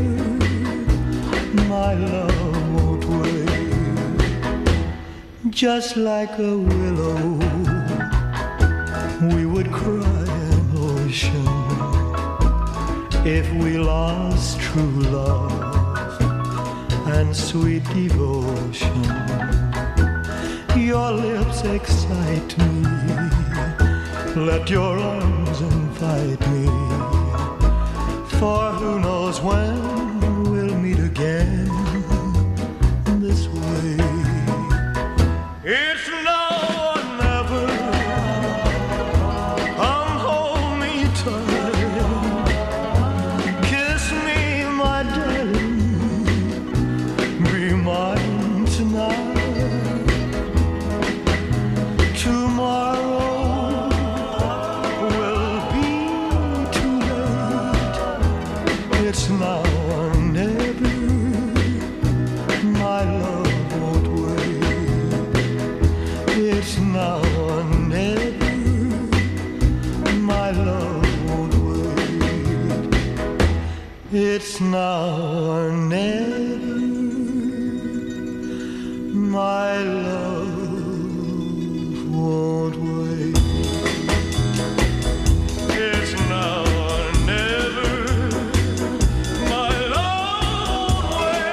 My love won't wait. Just like a willow, we would cry an ocean if we lost true love and sweet devotion. Your lips excite me, let your arms invite me, for who knows when we'll meet again this way. It's now or never. Come hold me tight. Kiss me, my darling. Be mine tonight. Tomorrow will be too late. It's now It's now or never. My love won't wait. It's now or never. My love won't wait. It's now or never. My love won't wait.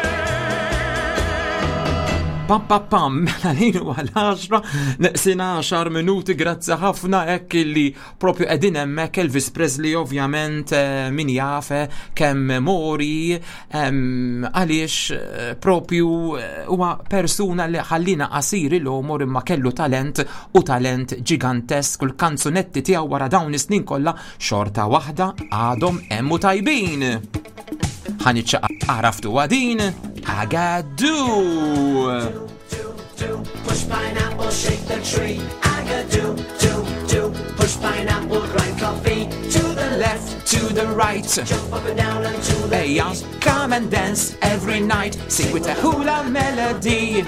Pam pam pam, mela lejn huwa l-għaxra, neqsin għaxar minuti, grazzi ħafna hekk illi propju qegħdin hemmhekk Elvis Presley ovvjament eh, min jaf eh, kemm mori em, għaliex eh, propju eh, huwa persuna li ħallina qasir il-għomor imma kellu talent u talent ġigantesk u l-kanzunetti tiegħu wara dawn is-snin kollha xorta waħda għadhom hemm u tajbin. Ħa niċċaqalqu għaraftu għadin, Agadoo! Do, push pineapple, shake the tree. Agadoo, do, do, push pineapple, grind coffee. To the left, to the right. Jump up and down and to the Ejja, come and dance every night. Sing with a hula melody.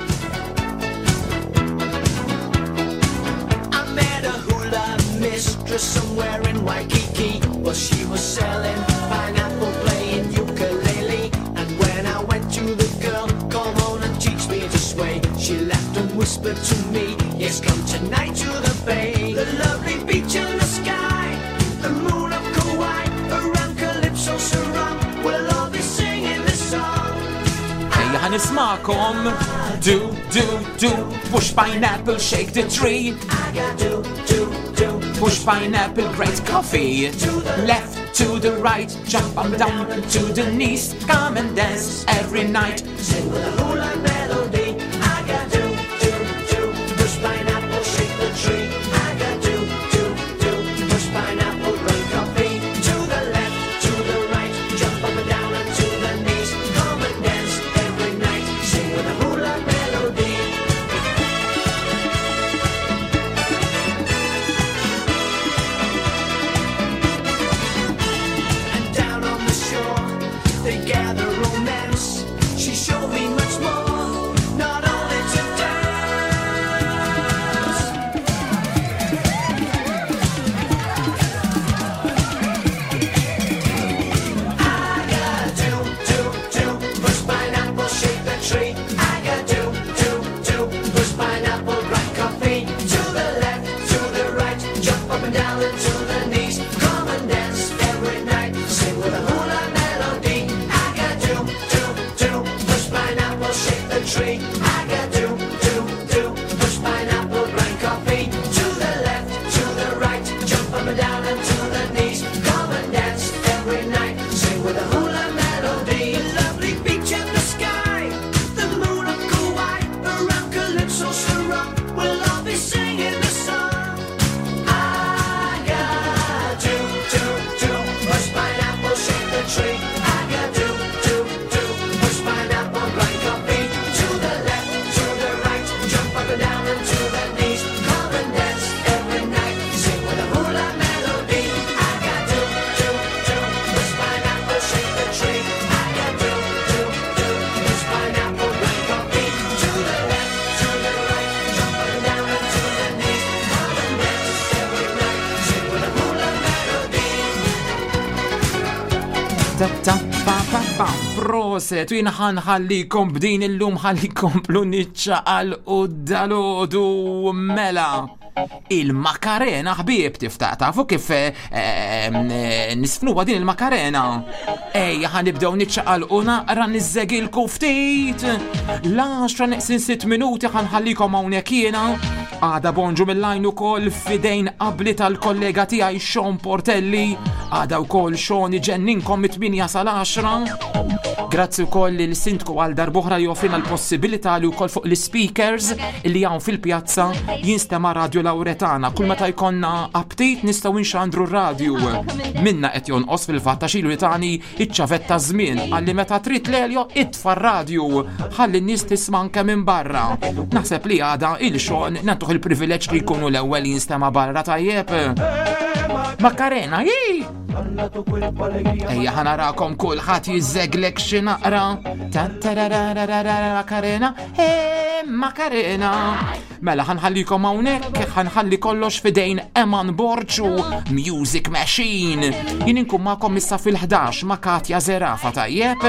I met a hula mistress somewhere in Waikiki. Well, she was selling pineapple, playing ukulele. And when I went to the girl, come on and teach me to sway. She laughed and whispered to me, yes, come tonight to the bay. The lovely beach in the sky, the moon of Kauai, around Calypso Sarong. We'll all be singing this song. Ejja ħa nismagħkom. Do, do, do. Push pineapple, shake the tree. Agadoo, do, do. Push pineapple, great coffee. Left to the right, jump up down to the knees. Come and dance every night. Sing with a hula melody. Agadoo, do, do. Push pineapple, shake the tree. Agadoo, do, do. Push pineapple, grind coffee. To the left, to the right, jump up and down and to the knees. Come and dance every night. Sing with a hula melody. And down on the shore, they gather romance. She showed me much more, not only to dance. Agadoo, do, do, push pineapple, shake the tree. Agadoo, do, do, push pineapple, grind coffee. To the left, to the right, jump up and down and to the knees. Come and dance every night, sing with a hula melody. Agadoo, do, do, push pineapple, shake the tree. Agadoo, do, do, push pineapple, grind coffee. To the left, to the right, jump up and down and to the knees. Come and dance every night, sing with a hula melody. The lovely beach in the sky, the moon of Kauai, around Calypso Sarong, we'll all be singing this song. Agadoo, do, do, push pineapple, shake the tree. Agadoo, do, do, push pineapple, grind coffee. To the left, to the right, jump up and down and to the knees. Come and dance every night, sing with a hula melody. Agadoo, do, do, push pineapple, shake the tree. Agadoo, do, do, push pineapple, grind coffee. To the left, to the right, jump up and down and to the knees. Come and dance every night, sing with a hula melody. Ta ta pa pa pa Proset, u jiena ħa nħallikom b'din illum ħalli komplu niċċaqalqu dalgħodu mela. Il-Makarena ħbieb tifta tafu kif eh, eh, nisfnuha din il-Makarena. Ejja ħa nibdew niċċaqalqu naqra niżżegilku ftit. L-għaxra neqsin sitt minuti ħa nħallikom hawnhekk jiena. Għada bonġu mill-lajn ukoll fidejn qabli tal-kollega tiegħi Sean Portelli. Għada wkoll Sean iġenninkom mit-tmienja sal-għaxra. Grazzi wkoll il-sindku għal darb'oħra li joffrina l-possibilità li wkoll fuq l-speakers li hawn fil-pjazza jinstema' Radio Lauretana. Kull meta jkollna aptit nistgħu nxandru r-radju. Minna qed jonqos fil-fatt għax ilu li tani iċ-ċavetta żmien għalli meta trid Lelio itfa' r-radju ħalli n-nies tisma' anke minn barra. Naħseb li għada il-Sean nagħtuh il-privileġġ li jkunu l-ewwel jinstema' barra tajjeb. Makarena, ji! Ejja ħa narakom kulħadd jiżżeglek xi naqra. Ta tararararara Makarena, he Makarena. Mela ħa nħallikom hawnhekk, ħa nħalli kollox f'idejn Eman Borg u Music Machine. Jien inkun magħkom issa fil-ħdax ma' Katja Zerafa, tajjeb?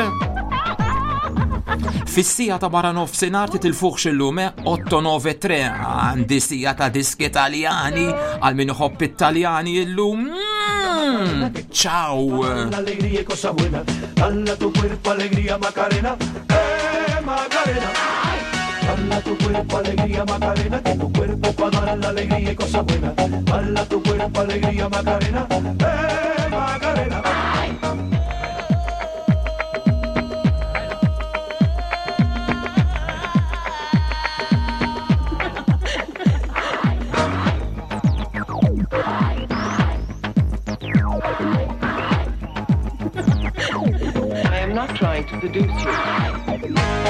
Fis-siegħa ta' wara nofsinhar titilfuħx illum otto nove tre, għandi siegħa ta' diski Taljani għal min iħobb it-Taljani illum. Mm, Ciao! Alegría y cosa buena. Dale a tu cuerpo alegría, Macarena. Eh, Macarena. Dale a tu cuerpo alegría, Macarena, que tu cuerpo pa' dar la alegría y cosa buena. Dale a tu cuerpo alegría, Macarena. Eh, Macarena. I am not trying to seduce you.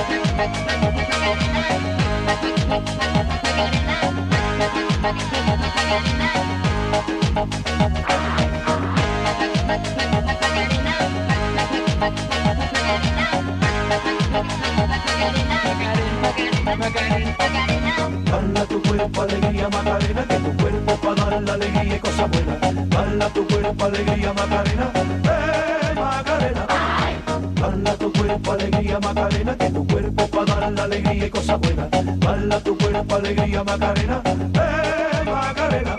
Dale a tu cuerpo alegría, Macarena, que tu cuerpo pa' dar la alegría y cosa buena. Dale a tu cuerpo alegría, Macarena. Eh, Macarena. Dale a tu cuerpo alegría, Macarena, que tu cuerpo pa' dar la alegría y cosa buena. Dale a tu cuerpo alegría, Macarena. Eh, Macarena.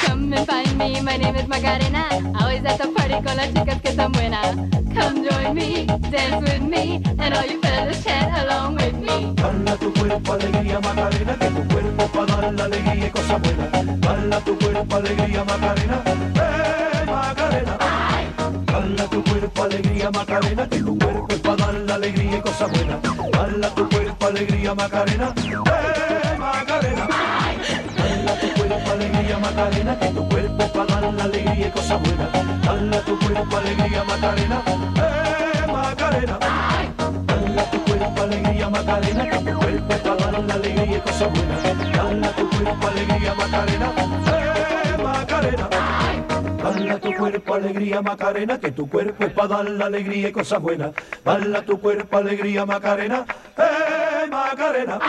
Come and find me, my name is Macarena. Always at the party con las chicas que están buenas. Come join me, dance with me, and all you fellas chat along with me. Dale a tu cuerpo alegría, Macarena, que tu cuerpo pa' dar la alegría y cosa buena. Dale a tu cuerpo alegría, Macarena. Eh, Macarena. Dale a tu cuerpo alegría, Macarena, que tu cuerpo es pa' dar la alegría y cosa buena. Dale a tu cuerpo alegría, Macarena. Eh, Macarena. Dale a tu cuerpo alegría, Macarena, que tu cuerpo es pa' dar la alegría y cosa buena. Dale a tu cuerpo alegría, Macarena. Eh, Macarena. Dale a tu cuerpo alegría, Macarena, que tu cuerpo es pa' dar la alegría y cosa buena. Dale a tu cuerpo alegría, Macarena. Eh, Macarena. Dale a tu cuerpo alegría, Macarena, que tu cuerpo es pa' dar la alegría y cosas buenas. Dale a tu cuerpo alegría, Macarena. Eh, Macarena.